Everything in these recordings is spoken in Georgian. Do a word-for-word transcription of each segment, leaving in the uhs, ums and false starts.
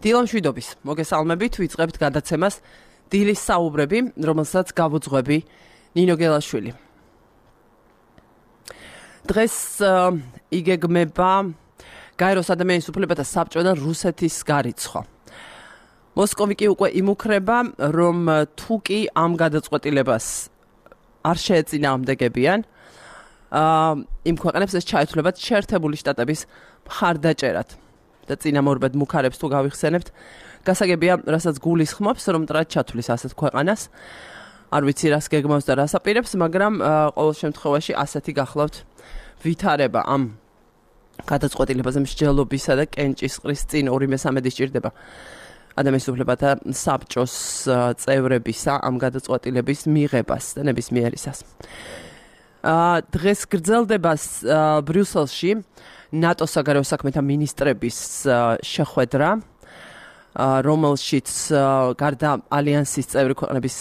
დილამშვიდობის მოგესალმებით, ვიწყებთ გადაცემას დილის საუბრები, რომელსაც გავუძღვები ნინო გელაშვილი. დღეს იგეგმება გაეროს ადამიანის უფლებათა საბჭო და რუსეთის გარიცხვა. მოსკოვი კი უკვე იმუქრება, რომ თუ კი ამ გადაწყვეტილებას არ შეეწინააღმდეგებიან, იმ ქვეყნებს ეს ჩაეთვლებათ შეერთებული შტატების მხარდაჭერად. და წინამორბედ მუქარებს თუ გავიხსენებთ, გასაგებია, რასაც გულისხმობს, რომ მტრად ჩათვლის ასეთ ქვეყანას. არ ვიცი რას გეგმავს და რას აპირებს, მაგრამ ყოველ შემთხვევაში ასეთი გახლავთ ვითარება ამ გადაწყვეტილებაზე მსჯელობისა და კენჭისყრის წინ ორი მესამედი სჭირდება ადამიანის უფლებათა საბჭოს წევრებისა ამ გადაწყვეტილების მიღებას და ნებისმიერისას. დღეს გრძელდება ბრიუსელში ნატოს საგარეო საქმეთა მინისტრების შეხვედრა, რომელშიც გარდა ალიანსის წევრი ქვეყნების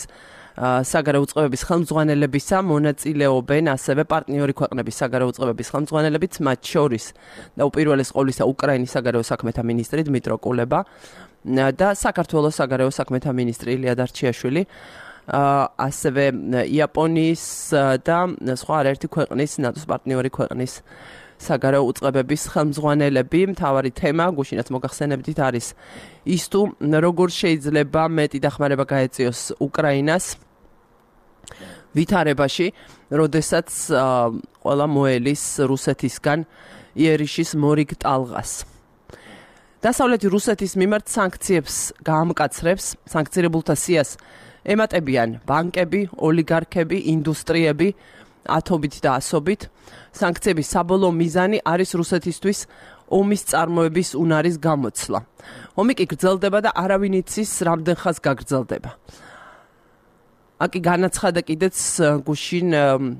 საგარეო უწყებების ხელმძღვანელებისა მონაწილეობენ ასევე პარტნიორი ქვეყნების საგარეო უწყებების ხელმძღვანელებიც, მათ შორის და უპირველეს ყოვლისა უკრაინის საგარეო საქმეთა მინისტრი დმიტრო კულება და საქართველოს საგარეო საქმეთა მინისტრი ილია დარჩიაშვილი, ასევე იაპონიის და სხვა არაერთი ქვეყნის ნატოს პარტნიორი ქვეყნის საგარეო უწყებების ხელმძღვანელები. მთავარი თემა, გუშინაც მოგახსენებდით, არის ის თუ როგორ შეიძლება მეტი დახმარება გაეწიოს უკრაინას ვითარებაში, როდესაც ყველა მოელის რუსეთისგან იერიშის მორიგ ტალღას. დასავლეთი რუსეთის მიმართ სანქციებს გაამკაცრებს, სანქცირებულთა სიას ემატებიან ბანკები, ოლიგარქები, ინდუსტრიები, ათობით და ასობით. სანქციების საბოლოო მიზანი არის რუსეთისთვის ომის წარმოების უნარის გამოცლა. ომი კი გრძელდება და არავინ იცის რამდენ ხანს გაგრძელდება. აკი განაცხადა კიდეც გუშინ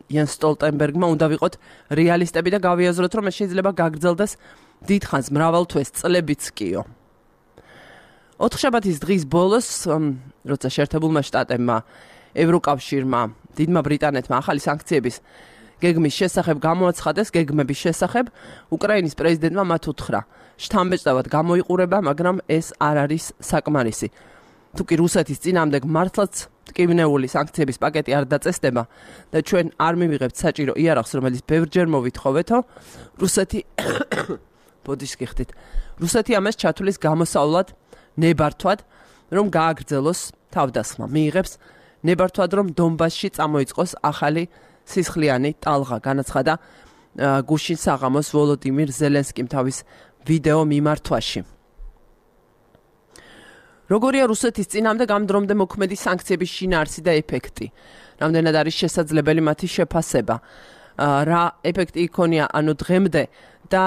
იენს სტოლტენბერგმა, უნდა ვიყოთ რეალისტები და გავიაზროთ, რომ ეს შეიძლება გაგრძელდეს დიდხანს, მრავალ თვეს, წლებიც კიო. ოთხშაბათის დღის ბოლოს, როცა შეერთებულმა შტატებმა, ევროკავშირმა, დიდმა ბრიტანეთმა ახალი სანქციების გეგმის შესახებ გამოაცხადეს, გეგმების შესახებ, უკრაინის პრეზიდენტმა მათ უთხრა, შთამბეჭდავად გამოიყურება, მაგრამ ეს არ არის საკმარისი. თუ კი რუსეთის წინააღმდეგ მართლაც ტკივნეული სანქციების პაკეტი არ დაწესდება და ჩვენ არ მივიღებთ საჭირო იარაღს, რომელიც ბევრჯერ მოვითხოვეთო, რუსეთი ბოდიშს გიხდით. რუსეთი ამას ჩათვლის გამოსავლად, ნებართვად, რომ გააგრძელოს თავდასხმა, მიიღებს ნებართვად, რომ დონბასში წამოიწყოს ახალი სისხლიანი ტალღა, განაცხადა გუშინ საღამოს ვოლოდიმირ ზელენსკიმ თავის ვიდეო მიმართვაში. როგორია რუსეთის წინააღმდეგ ამ დრომდე მოქმედი სანქციების შინაარსი და ეფექტი? რამდენად არის შესაძლებელი მათი შეფასება? რა ეფექტი იქონია ანუ დღემდე და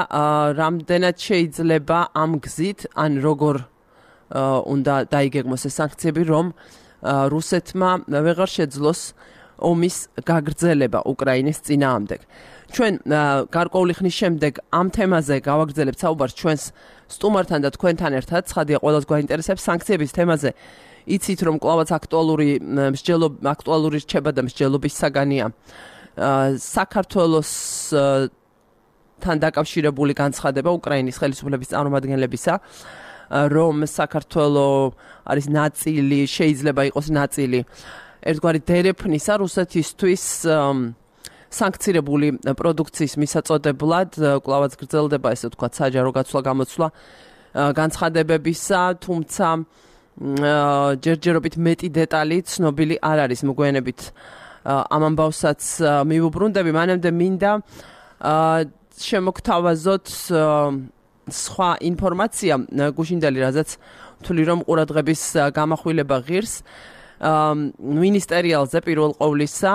რამდენად შეიძლება ამ გზით, ან როგორ უნდა დაიგეგმოს ეს სანქციები, რომ რუსეთმა ვეღარ შეძლოს ომის გაგრძელება უკრაინის წინააღმდეგ. ჩვენ გარკვეული ხნის შემდეგ ამ თემაზე გავაგრძელებთ საუბარს ჩვენს სტუმართან და თქვენთან ერთად. ცხადია, ყველას გვაინტერესებს სანქციების თემაზე. იცით, რომ კვლავაც აქტუალური მსჯელობ აქტუალური რჩება და მსჯელობის საგანია საქართველოსთან დაკავშირებული განცხადება უკრაინის ხელისუფლების წარმომადგენლებისა, რომ საქართველო არის ნაწილი, შეიძლება იყოს ნაწილი ერთგვარი დერეფნისა რუსეთისთვის სანქცირებული პროდუქციის მისაწოდებლად, კვლავაც გრძელდება ესე ვთქვათ საჯარო გაცვლა-გამოცვლა განცხადებებისა, თუმცა ჯერჯერობით მეტი დეტალი ცნობილი არ არის. მოგვიანებით ამ ამბავსაც მივუბრუნდები, მანამდე მინდა შემოგთავაზოთ სხვა ინფორმაცია გუშინდელი, რაზეც ვთვლი, რომ ყურადღების გამახვილება ღირს. მინისტერიალზე პირველ ყოვლისა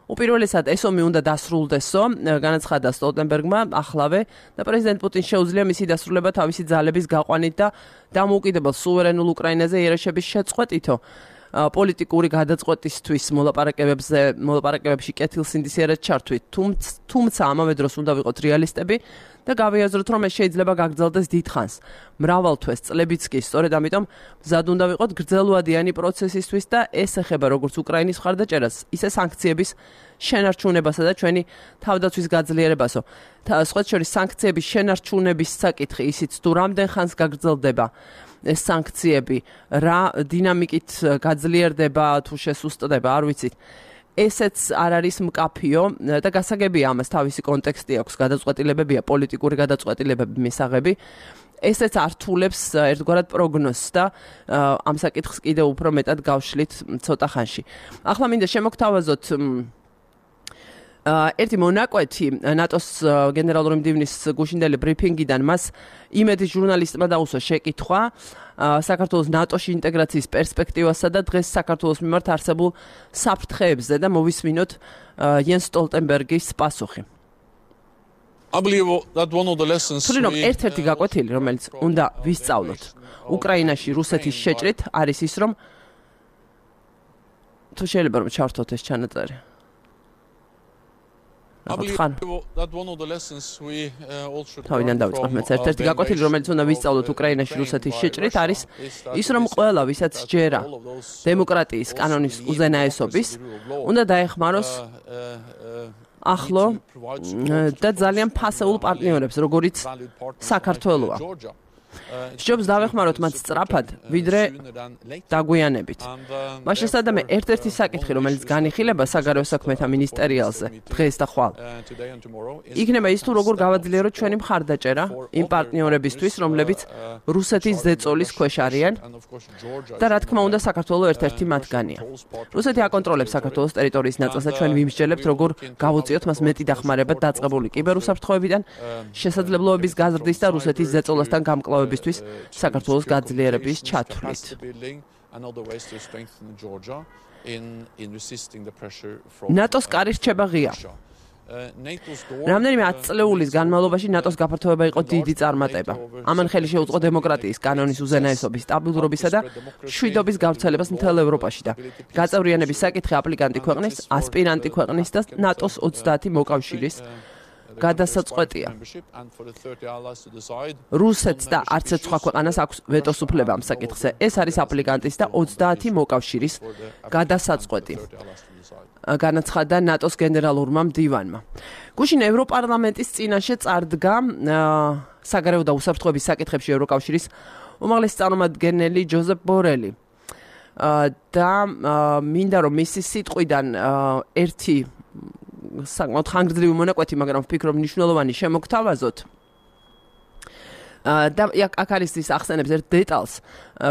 უპირველესად ეს ომი უნდა დასრულდესო, განაცხადა სტოლტენბერგმა ახლავე და პრეზიდენტ პუტინს შეუძლია მისი დასრულება თავისი ძალების გაყვანით და დამოუკიდებელ სუვერენულ უკრაინაზე იერიშების შეწყვეტითო. პოლიტიკური გადაწყვეტისთვის მოლაპარაკებებზე მოლაპარაკებებში კეთილსინდისიერად ჩართვით, თუმცა ამავე დროს უნდა ვიყოთ რეალისტები და გავიაზროთ, რომ ეს შეიძლება გაგრძელდეს დიდხანს. მრავალ თვეს წლებიც კი, სწორედ ამიტომ მზად უნდა ვიყოთ გრძელვადიანი პროცესისთვის და ეს ეხება როგორც უკრაინის მხარდაჭერას, ისე სანქციების შენარჩუნებასა და ჩვენი თავდაცვის გაძლიერებასო. სხვა შორის სანქციების შენარჩუნების საკითხი ისიც თუ რამდენ ხანს გაგრძელდება ეს სანქციები, რა დინამიკით გაძლიერდება თუ შესუსტდება, არ ვიცით. ესეც არ არის მკაფიო და გასაგებია ამას თავისი კონტექსტი აქვს, გადაწყვეტილებებია, პოლიტიკური გადაწყვეტილებები, მისაღები. ესეც ართულებს ერთგვარად პროგნოზს და ამ საკითხს კიდევ უფრო მეტად გავშლით ცოტა ხანში. ახლა მინდა შემოგთავაზოთ ერთი მონაკვეთი ნატოს გენერალური მდივნის გუშინდელი ბრიფინგიდან მას იმედის ჟურნალისტმა დაუსვა შეკითხვა საქართველოს ნატოში ინტეგრაციის პერსპექტივასა და დღეს საქართველოს მიმართ არსებულ საფრთხეებზე და მოვისმინოთ იენს სტოლტენბერგის პასუხი. თვლი რომ ერთ-ერთი გაკვეთილი, რომელიც უნდა ვისწავლოთ უკრაინაში რუსეთის შეჭრით, არის ის, რომ თუ შეიძლება რომ ჩავთოთ ეს ჩანაწერი. თავიდან დავიწყებ მეც ერთ-ერთი გაკვეთილი, რომელიც უნდა ვისწავლოთ უკრაინაში რუსეთის შეჭრით, არის ის, რომ ყველა, ვისაც ჯერა დემოკრატიის კანონის უზენაესობის, უნდა დაეხმაროს ახლო და ძალიან ფასეულ პარტნიორებს, როგორიც საქართველოა. სჯობს დავეხმაროთ მათ სწრაფად, ვიდრე დაგვიანებით. მას შესაძლოა ერთ-ერთი საკითხი, რომელიც განიხილება საგარეო საქმეთა მინისტერიალზე დღეს და ხვალ, იქნება ის, თუ როგორ გავაძლიეროთ ჩვენი მხარდაჭერა იმ პარტნიორებისთვის, რომლებიც რუსეთის ზეწოლის ქვეშ არიან და რა თქმა უნდა საქართველოს ერთ-ერთი მათგანია. რუსეთი აკონტროლებს საქართველოს ტერიტორიის ნაწილს და ჩვენ ვიმსჯელებთ, როგორ გავუწიოთ მას მეტი დახმარება დაწყებული კიბერუსაფრთხოებიდან, შესაძლებლობების გაზრდის და რუსეთის ზეწოლასთან გამკლავების საქართველოს გაძლიერების ჩათვლით. ნატოს კარი რჩება ღია. რამდენიმე ათწლეულის განმავლობაში ნატოს გაფართოება იყო დიდი წარმატება. ამან ხელი შეუწყო დემოკრატიის, კანონის უზენაესობის, სტაბილურობისა და მშვიდობის გავრცელებას მთელ ევროპაში და გაწევრიანების საკითხი აპლიკანტი ქვეყნის, ასპირანტი ქვეყნის და ნატოს ოცდაათი მოკავშირის გადასაწყვეტია. რუსეთს და არც ერთ სხვა ქვეყანას აქვს ვეტოს უფლება ამ საკითხზე. ეს არის აპლიკანტის და ოცდაათი მოკავშირის გადასაწყვეტი. განაცხადა ნატოს გენერალურმა მდივანმა. გუშინ ევროპარლამენტის წინაშე წარდგა საგარეო და უსაფრთხოების საკითხებში ევროკავშირის უმაღლესი წარმომადგენელი ჯოზეფ ბორელი. და მინდა რომ მისი სიტყვიდან ერთი საკმაოდ ხანგრძლივი მონაკვეთი, მაგრამ ვფიქრობ მნიშვნელოვანი შემოგთავაზოთ. და აქ არის ის ახსენებს ერთ დეტალს,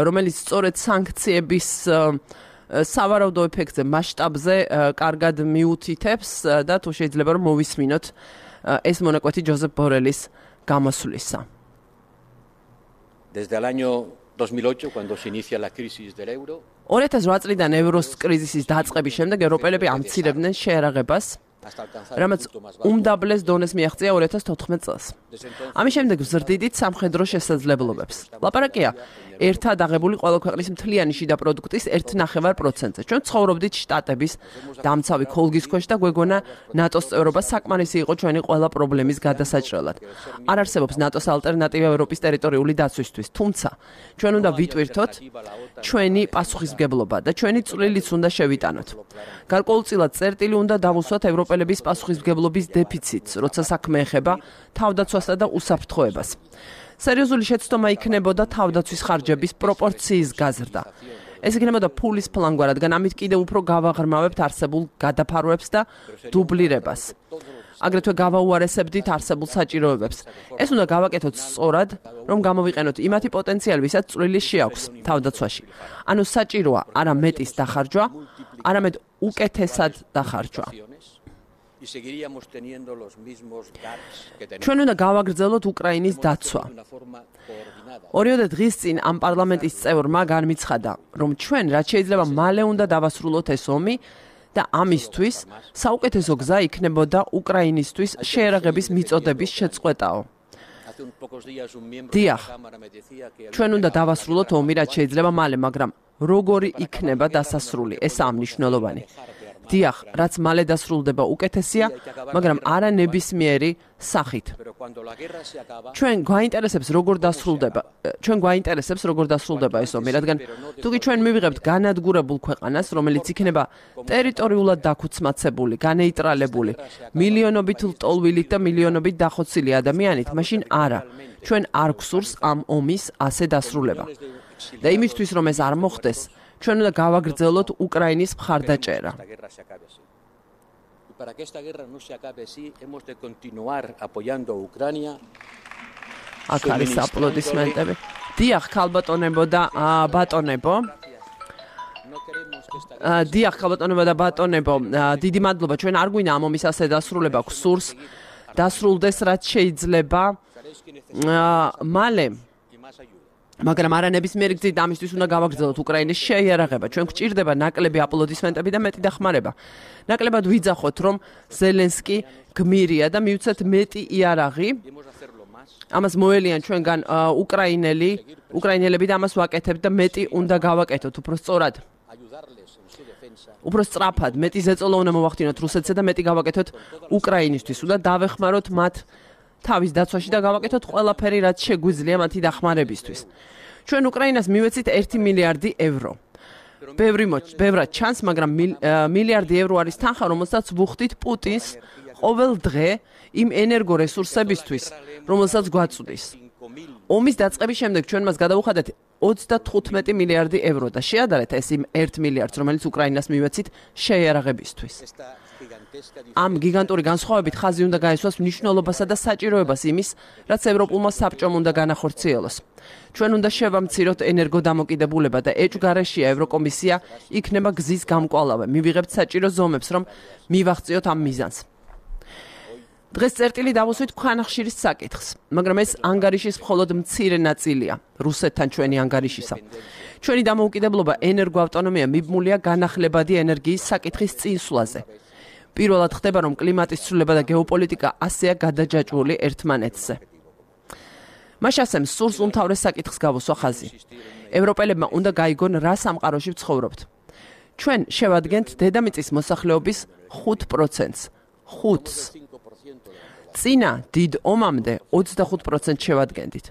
რომელიც სწორედ სანქციების სავარაუდო ეფექტზე, მასშტაბზე კარგად მიუთითებს და თუ შეიძლება რომ მოვისმინოთ ეს მონაკვეთი ჯოზეფ ბორელის გამოსვლისა. Desde el año dos mil ocho, cuando se inicia la crisis del euro, ორი ათას ოთხ წლიდან ევროს კრიზისის დაწყების შემდეგ ევროპელები ამცირებდნენ შეერაღებას, რამაც უმდაბლეს დონეს მიაღწია ორი ათას თოთხმეტ წელს. ამის შემდეგ ზრდიდით სამხედრო შესაძლებლობებს. ლაპარაკია ერთად აღებული ყველა ქვეყნის მთლიანი შიდა პროდუქტის ერთ ნახევარ პროცენტზე. ჩვენ ცხოვრობდით შტატების დამცავი ქოლგის ქვეშ და გვეგონა ნატოს წევრობა საკმარისი იყო ჩვენი ყველა პრობლემის გადასაჭრელად. არ არსებობს ნატოს ალტერნატივა ევროპის ტერიტორიული დაცვისთვის, თუმცა ჩვენ უნდა ვიტვირთოთ ჩვენი პასუხისმგებლობა და ჩვენი წვლილიც უნდა შევიტანოთ. გარკვეულწილად წერტილი უნდა დავუსვათ ევროპელების პასუხისმგებლობის დეფიციტს, როცა საქმე ეხება თავდაცვასა და უსაფრთხოებას. სერიოზული შეცდომა იქნებოდა თავდაცვის ხარჯების პროპორციის გაზრდა. ეს იქნებოდა ფულის ფლანგვა, რადგან ამით კიდევ უფრო გავაღრმავებთ არსებულ გადაფარვებს და დუბლირებას. აგრეთვე გავაუარესებდით არსებულ საჭიროებებს. ეს უნდა გავაკეთოთ სწორად, რომ გამოვიყენოთ იმათი პოტენციალი, ვისაც წვლილი შეაქვს თავდაცვაში. ანუ საჭიროა არა მეტის დახარჯვა, არამედ უკეთესად დახარჯვა. ჩვენ უნდა გავაგრძელოთ უკრაინის დაცვა. ორიოდე დღის წინ ამ პარლამენტის წევრმა განმიცხადა, რომ ჩვენ რაც შეიძლება მალე უნდა დავასრულოთ ეს ომი და ამისთვის საუკეთესო გზა იქნებოდა უკრაინისთვის შეერაღების მიწოდების შეწყვეტაო. დიახ, ჩვენ უნდა დავასრულოთ ომი, რაც შეიძლება მალე, მაგრამ როგორი იქნება დასასრული, ესაა მნიშვნელოვანი. დიახ, რაც მალე დასრულდება უკეთესია, მაგრამ არა ნებისმიერი სახით. ჩვენ გვაინტერესებს როგორ დასრულდება, ჩვენ გვაინტერესებს როგორ დასრულდება ეს ომი, რადგან თუკი ჩვენ მივიღებთ განადგურებულ ქვეყანას, რომელიც იქნება ტერიტორიულად დაქუცმაცებული, განეიტრალებული, მილიონობით ლტოლვილით და მილიონობით დახოცილი ადამიანით, მაშინ არა, ჩვენ არ გვსურს ამ ომის ასე დასრულება. და იმისთვის, რომ ეს არ მოხდეს, ჩვენ უნდა გავაგრძელოთ უკრაინის მხარდაჭერა. აქ არის აპლოდისმენტები. დიახ, ქალბატონებო და ბატონებო. დიახ, ქალბატონებო და ბატონებო, დიდი მადლობა. ჩვენ არ გვინდა ამ ომის ასე დასრულება, გვსურს დასრულდეს რაც შეიძლება მალე. მაგრამ არა ნებისმიერი გზით ამისთვის უნდა გავაგრძელოთ უკრაინის შეიარაღება. ჩვენ გვჭირდება ნაკლები აპლოდისმენტები და მეტი დახმარება. ნაკლებად ვიძახოთ, რომ ზელენსკი გმირია და მივცეთ მეტი იარაღი. ამას მოელიან ჩვენგან უკრაინელი, უკრაინელები და ამას ვაკეთებთ და მეტი უნდა გავაკეთოთ, უფრო სწორად. უფრო სწრაფად, მეტი ზეწოლა უნდა მოვახდინოთ რუსეთზე და მეტი გავაკეთოთ უკრაინისთვის. უნდა დავეხმაროთ მათ თავის დაცვაში და გავაკეთოთ ყველაფერი, რაც შეგვიძლია მათი დახმარებისთვის. ჩვენ უკრაინას მივეცით ერთი მილიარდი ევრო. ბევრი ბევრად ჩანს, მაგრამ მილიარდი ევრო არის თანხა, რომელსაც ვუხდით პუტინს ყოველ დღე იმ ენერგორესურსებისთვის, რომელსაც გვაწვდის. ომის დაწყების შემდეგ ჩვენ მას გადავუხადეთ ოცდათხუთმეტი მილიარდი ევრო და შეადარეთ ეს იმ ერთ მილიარდს, რომელიც უკრაინას მივეცით შეიარაღებისთვის. ამ გიგანტური განსხვავებით ხაზი უნდა გაესვას მნიშვნელობასა და საჭიროებას იმის, რაც ევროპულმა საბჭომ უნდა განახორციელოს. ჩვენ უნდა შევამციროთ ენერგოდამოკიდებულება და ეჭვგარეშეა ევროკომისია იქნება გზის გამკვალავე. მივიღებთ საჭირო ზომებს, რომ მივახციოთ ამ მიზანს. დღეს წერტილი დავუსვით ქვანახშირის საკითხს, მაგრამ ეს ანგარიშის მხოლოდ მცირე ნაწილია რუსეთთან ჩვენი ანგარიშისა. ჩვენი დამოუკიდებლობა ენერგოავტონომია მიბმულია განახლებადი ენერგიის საკითხის წინსვლაზე. პირველად ხდება, რომ კლიმატის ცვლილება და გეოპოლიტიკა ასეა გადაჯაჭვული ერთმანეთზე. მაშასემ სურს უმთავრეს საკითხს გავუსვა ხაზი. ევროპელებმა უნდა გაიგონ, რა სამყაროში ვცხოვრობთ. ჩვენ შევადგენთ დედამიწის მოსახლეობის ხუთ პროცენტს. ხუთს. წინა დიდ ომამდე ოცდახუთ პროცენტს შევადგენდით.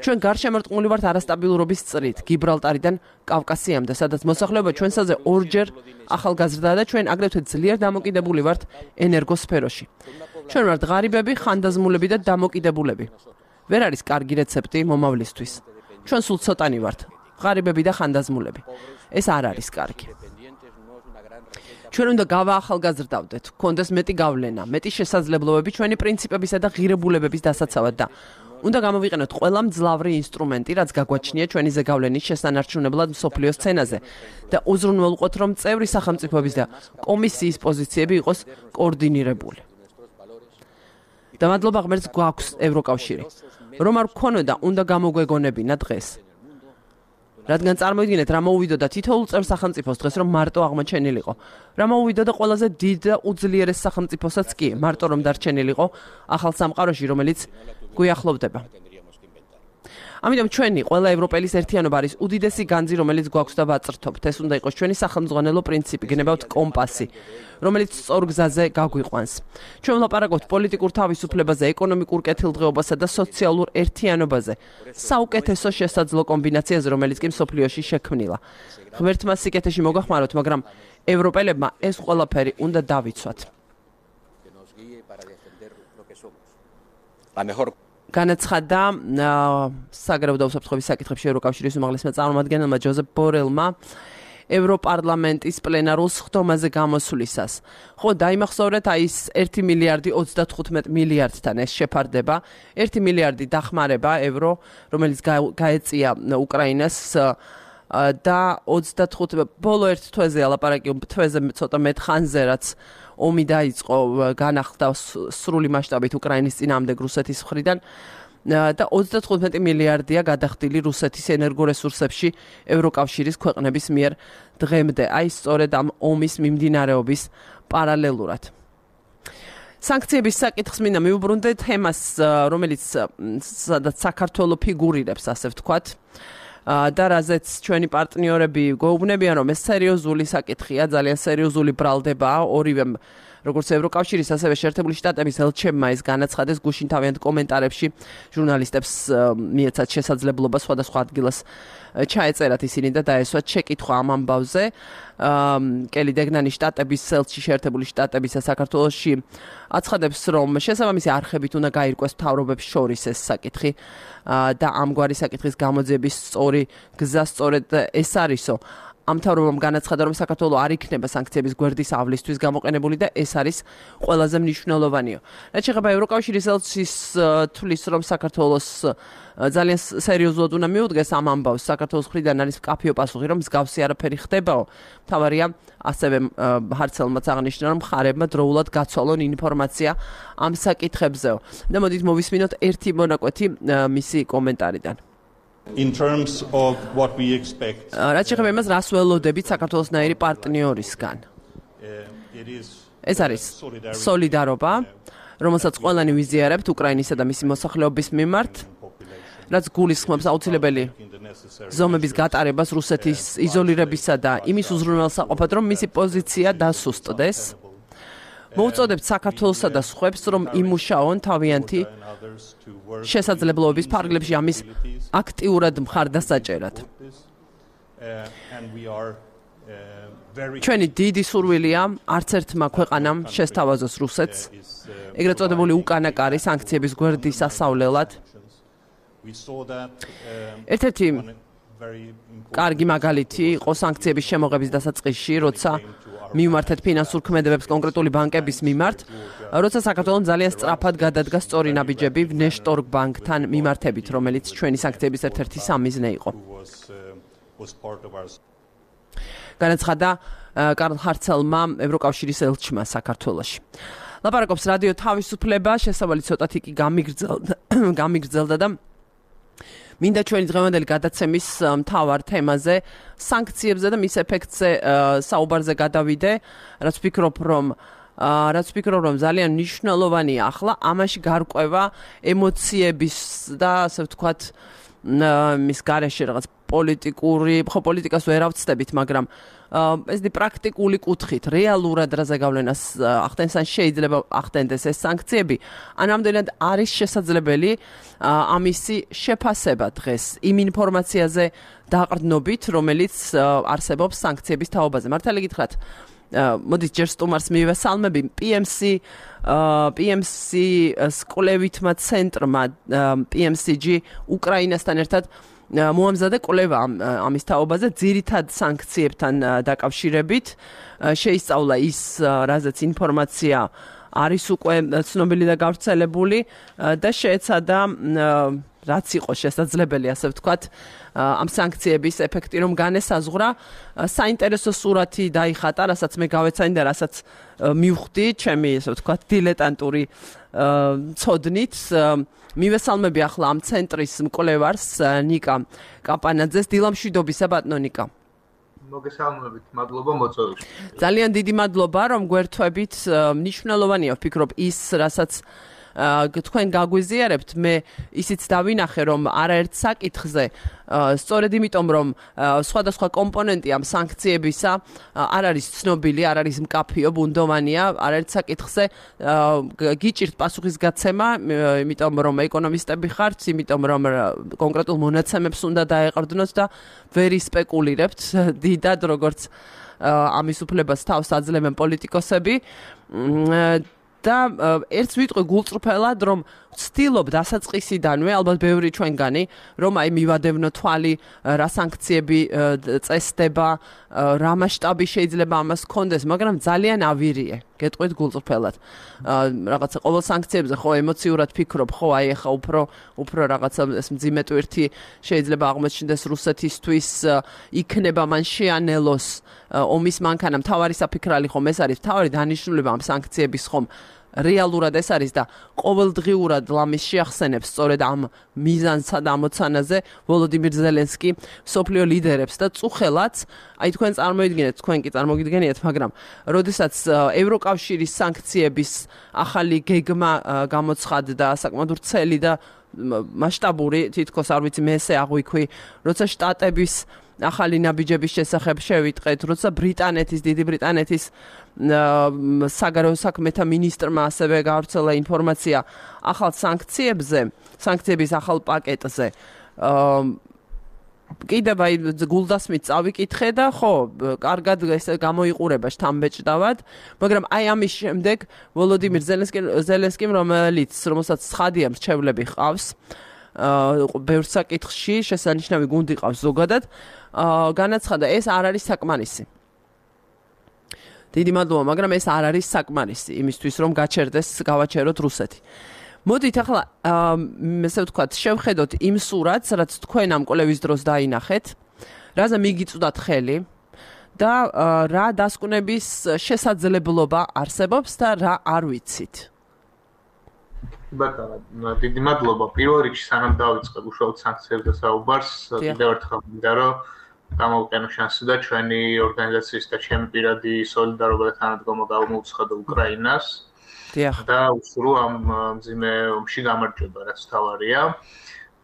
ჩვენ გარშემორტყმული ვართ არასტაბილურობის წრით, გიბრალტარიდან კავკასიამდე, სადაც მოსახლეობა ჩვენსაზე ორჯერ ახალგაზრდაა და ჩვენ აგრეთვე ძლიერ დამოკიდებული ვართ ენერგოსფეროში. ჩვენ ვართ ღარიბები, ხანდაზმულები და დამოკიდებულები. ვერ არის კარგი რეცეპტი მომავლისთვის. ჩვენ სულ ცოტანი ვართ, ღარიბები და ხანდაზმულები. ეს არ არის კარგი. ჩვენ უნდა გავაახალგაზრდავდეთ, გქონდეს მეტი გავლენა, მეტი შესაძლებლობები ჩვენი პრინციპებისა და ღირებულებების დასაცავად და უნდა გამოვიყენოთ ყველა მძლავრი ინსტრუმენტი, რაც გაგვაჩნია ჩვენი ზეგავლენის შესანარჩუნებლად მსოფლიო სცენაზე და უზრუნველყოთ, რომ წევრი სახელმწიფოების და კომისიის პოზიციები იყოს კოორდინირებული. და მადლობა ღმერთს გვაქვს ევროკავშირი. რომ არ გქონოდა, უნდა გამოგვეგონებინა დღეს. რადგან წარმოიდგინეთ, რა მოუვიდოდა თითოეულ წევრ სახელმწიფოს დღეს, რომ მარტო აღმოჩენილიყო. რა მოუვიდოდა ყველაზე დიდ და უძლიერეს სახელმწიფოსაც კი, მარტო რომ დარჩენილიყო ახალ სამყაროში, რომელიც გვიახლოვდება. ამიტომ ჩვენი ყველა ევროპელის ერთიანობა არის უდიდესი განძი, რომელიც გვაქვს და ვაწრთობთ. ეს უნდა იყოს ჩვენი სახელმძღვანელო პრინციპი, გნებავთ კომპასი, რომელიც სწორ გზაზე გაგვიყვანს. ჩვენ ვლაპარაკობთ პოლიტიკურ თავისუფლებაზე, ეკონომიკურ კეთილდღეობასა და სოციალურ ერთიანობაზე, საუკეთესო შესაძლო კომბინაციაზე, რომელიც კი მსოფლიოში შექმნილა. ღმერთმა სიკეთეში მოგახმაროთ, მაგრამ ევროპელებმა ეს ყველაფერი უნდა დავიცვათ. განაცხადა საგარეო და უსაფრთხოების საკითხებში ევროკავშირის უმაღლესმა წარმომადგენელმა ჯოზეფ ბორელმა ევროპარლამენტის პლენარულ სხდომაზე გამოსვლისას. ხო, დაიმახსოვრეთ, აი ეს ერთი მილიარდი ოცდათხუთმეტ მილიარდთან ეს შეფარდება, ერთი მილიარდი დახმარება ევრო, რომელიც გაეწია უკრაინას და ოცდათხუთი ბოლო ერთ თვეზე ალაპარაკი თვეზე ცოტა მეტ ხანზე, რაც ომი დაიწყო, განახლდა სრული მასშტაბით უკრაინის წინააღმდეგ რუსეთის მხრიდან და ოცდათხუთმეტი მილიარდია გადახდილი რუსეთის ენერგორესურსებში ევროკავშირის ქვეყნების მიერ დღემდე. აი სწორედ ამ ომის მიმდინარეობის პარალელურად. სანქციების საკითხს მინდა მივუბრუნდე თემას, რომელიც სადაც საქართველოს ფიგურირებს, ასე ვთქვათ. და რაზეც ჩვენი პარტნიორები გვეუბნებიან, რომ ეს სერიოზული საკითხია, ძალიან სერიოზული ბრალდებაა, ორივე როგორც ევროკავშირის, ასევე შეერთებული შტატების ელჩებმა ეს განაცხადეს გუშინ თავიანთ კომენტარებში ჟურნალისტებს მიეცათ შესაძლებლობა სხვადასხვა ადგილას ჩაეწერათ ისინი და დაესვათ შეკითხვა ამ ამბავზე. კელი დეგნანი შტატების ელჩი შეერთებული შტატებისა საქართველოში აცხადებს, რომ შესაბამისი არხებით უნდა გაირკვეს მთავრობებს შორის ეს საკითხი და ამგვარი საკითხის გამოძიების სწორი გზა სწორედ ეს არისო. ამ მთავრობამ განაცხადა, რომ საქართველოს არ იქნება სანქციების გვერდისავლისთვის გამოყენებული და ეს არის ყველაზე მნიშვნელოვანიო. რაც შეეხება ევროკავშირის ელჩის თვლის, რომ საქართველოს ძალიან სერიოზულად უნდა მიუდგეს ამ ამბავს, საქართველოს მხრიდან არის მკაფიო პასუხი, რომ მსგავსი არაფერი ხდებაო. მთავარია ასევე ჰარცელმაც აღნიშნა, რომ მხარეებმა დროულად გაცვალონ ინფორმაცია ამ საკითხებზეო. და მოდით მოვისმინოთ ერთი მონაკვეთი მისი კომენტარიდან. In terms of what we expect. რაც შეეხება იმას, რას ველოდებით საქართველოსნაირი პარტნიორისგან. ეს არის სოლიდარობა, რომელსაც ყველანი ვიზიარებთ უკრაინისა და მისი მოსახლეობის მიმართ, რაც გულისხმობს აუცილებელი ზომების გატარებას რუსეთის იზოლირებისა და იმის უზრუნველსაყოფად, რომ მისი პოზიცია დასუსტდეს. მოუწოდებთ საქართველოსა და სხვებს, რომ იმუშაონ თავიანთი შესაძლებლობების ფარგლებში ამის აქტიურად მხარდასაჭერად. ჩვენი დიდი სურვილია არც ერთმა ქვეყანამ შესთავაზოს რუსეთს, ეგრეთ წოდებული უკანა კარი სანქციების გვერდის ასავლელად. ერთ-ერთი კარგი მაგალითი იყო სანქციების შემოღების დასაწყისში, როცა მივმართეთ ფინანსურ ქმედებებს კონკრეტული ბანკების მიმართ, როცა საქართველოს ძალიან სწრაფად გადადგა სწორი ნაბიჯები ვნეშტორგ ბანკთან მიმართებით, რომელიც ჩვენი სანქციების ერთ-ერთი სამიზნე იყო. განაცხადა კარლ ჰარცელმა ევროკავშირის ელჩმა საქართველოში. ლაპარაკობს რადიო თავისუფლება, შესავალი ცოტათი კი გამიგრძელდა, გამიგრძელდა და მინდა ჩვენი დღევანდელი გადაცემის მთავარ თემაზე, სანქციებზე და მის ეფექტზე საუბარზე გადავიდე, რაც ვფიქრობ, რომ რაც ვფიქრობ, რომ ძალიან მნიშვნელოვანია ახლა ამაში გარკვევა ემოციების და ასე ვთქვათ მის გარეშე რაღაც პოლიტიკური, ხო პოლიტიკას ვერ ავწდებით, მაგრამ ეს დი პრაქტიკული კუთხით, რეალურად რაზე გავლენას ახდენს ან შეიძლება ახდენდეს ეს სანქციები, ან ამდენად არის შესაძლებელი ამისი შეფასება დღეს იმ ინფორმაციაზე დაყრდნობით, რომელიც არსებობს სანქციების თაობაზე. მართალი გითხრათ, მოდით ჯერ სტუმარს მივესალმები, პი ემ სი პი ემ სი-ს კვლევითმა ცენტრმა პი ემ სი ჯი უკრაინასთან ერთად მოამზადა კვლევა ამის თაობაზე, ძირითად სანქციებთან დაკავშირებით. შეისწავლა ის, რაზეც ინფორმაცია არის უკვე ცნობილი და გავრცელებული და შეეცადა რაც იყო შესაძლებელი, ასე ვთქვათ, ამ სანქციების ეფექტი რომ განესაზღვრა. საინტერესო სურათი დაიხატა, რასაც მე გავეცანი და რასაც მივხვდი ჩემი, ასე ვთქვათ, დილეტანტური ცოდნით. მივესალმები ახლა ამ ცენტრის მკვლევარს ნიკა კაპანაძეს. დილამშვიდობისა ბატონო ნიკა. მოგესალმებით, მადლობა მოწვევისთვის. ძალიან დიდი მადლობა რომ გვერთვებით. მნიშვნელოვანია ვფიქრობ ის, რასაც თქვენ გაგვიზიარებთ, მე ისიც დავინახე, რომ არაერთ საკითხზე, სწორედ იმიტომ, რომ სხვადასხვა კომპონენტი ამ სანქციებისა არ არის ცნობილი, არ არის მკაფიო, ბუნდოვანია, არაერთ საკითხზე გიჭირთ პასუხის გაცემა, იმიტომ რომ ეკონომისტები ხართ, იმიტომ რომ კონკრეტულ მონაცემებს უნდა დაეყრდნოთ და ვერ ისპეკულირებთ დიდად, როგორც ამის უფლებას თავს აძლევენ პოლიტიკოსები. და ერთს ვიტყვი გულწრფელად, რომ ვცდილობ დასაწყისიდანვე, ალბათ ბევრი ჩვენგანი, რომ აი მივადევნო თვალი, რა სანქციები წესდება, რა მასშტაბი შეიძლება ამას ჰქონდეს, მაგრამ ძალიან ავირიე, გეტყვით გულწრფელად. რაღაცა ყოველ სანქციებზე ხო ემოციურად ფიქრობ, ხო აი ახლა უფრო უფრო რაღაცა ეს მძიმე ტვირთი შეიძლება აღმოჩნდეს რუსეთისთვის, იქნება მან შეანელოს ომის მანქანა. მთავარი საფიქრალი ხომ ეს არის, მთავარი დანიშნულება ამ სანქციების ხომ რეალურად ეს არის და ყოველდღიურად ლამის შეახსენებს სწორედ ამ მიზანსა და ამოცანაზე ვოლოდიმირ ზელენსკი მსოფლიო ლიდერებს და წუხელაც აი თქვენ წარმოიდგინეთ თქვენ კი წარმოგიდგენიათ მაგრამ როდესაც ევროკავშირის სანქციების ახალი გეგმა გამოცხადდა საკმაოდ ვრცელი და მასშტაბური თითქოს არ ვიცი მე ესე აღვიქვი როცა შტატების ახალი ნაბიჯების შესახებ შევიტყეთ, როცა ბრიტანეთის, დიდი ბრიტანეთის საგარეო საქმეთა მინისტრმა ასევე გავრცელა ინფორმაცია ახალ სანქციებზე, სანქციების ახალ პაკეტზე. კიდევ აი გულდასმით წავიკითხე და ხო, კარგად ესე გამოიყურება შთამბეჭდავად, მაგრამ აი ამის შემდეგ ვოლოდიმირ ზელენსკიმ, რომელიც რომელსაც ცხადია მრჩევლები ჰყავს, ბევრ საკითხში შესანიშნავი გუნდი ყავს ზოგადად, განაცხადა ეს არ არის საკმარისი. დიდი მადლობა, მაგრამ ეს არ არის საკმარისი იმისთვის, რომ გაჩერდეს, გავაჩეროთ რუსეთი. მოდით ახლა ესე ვთქვათ, შევხედოთ იმ სურათს, რაც თქვენ ამ კვლევის დროს დაინახეთ, რაზე მიგიწვდათ ხელი და რა დასკვნების შესაძლებლობა არსებობს და რა არ ვიცით. ბატონო, დიდი მადლობა. პირველ რიგში სანამ დავიწყებ უშუალოდ სანქციებზე საუბარს, კიდევ ერთხელ მინდა რომ გამოვყენო შანსი და ჩვენი ორგანიზაციის და ჩემი პირადი სოლიდარობა და თანადგომა გამოვუცხადო უკრაინას. და უსურვო ამ მძიმე ომში გამარჯვება, რაც თავარია.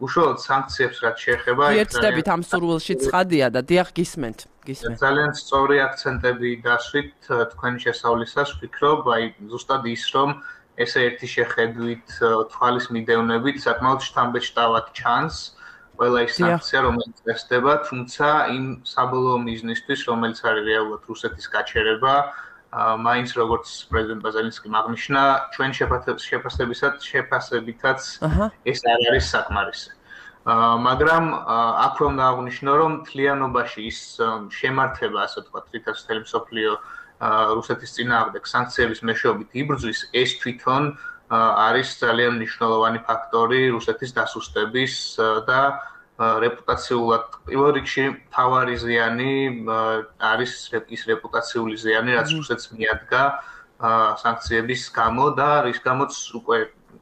უშუალოდ სანქციებს რაც შეეხება, ერთდებით ამ სურვილში ცხადია და დიახ გისმენთ, გისმენთ. ძალიან სწორი აქცენტები დასვით თქვენი შესავლისას, ვფიქრობ, აი ზუსტად ის რომ ესე ერთი შეხედვით თვალის მიდევნებით საკმაოდ შთამბეჭდავად ჩანს ყველა ის სანქცია რომელიც წესდება, თუმცა იმ საბოლოო მიზნისთვის რომელიც არის რეალურად რუსეთის გაჩერება, მაინც როგორც პრეზიდენტ ზელენსკიმ აღნიშნა, ჩვენ შეფასებისას შეფასებითაც ეს არ არის საკმარისი. მაგრამ აქ რომ დააღვნიშნო რომ მთლიანობაში ის შემართება, ასე ვთქვათ, რითაც მთელი მსოფლიო რუსეთის წინააღმდეგ სანქციების მეშვეობით იბრძვის, ეს თვითონ არის ძალიან მნიშვნელოვანი ფაქტორი რუსეთის დასუსტების და რეპუტაციულად პირველ რიგში მთავარი ზიანი არის ის რეპუტაციული ზიანი, რაც რუსეთს მიადგა სანქციების გამო და რის გამოც უკვე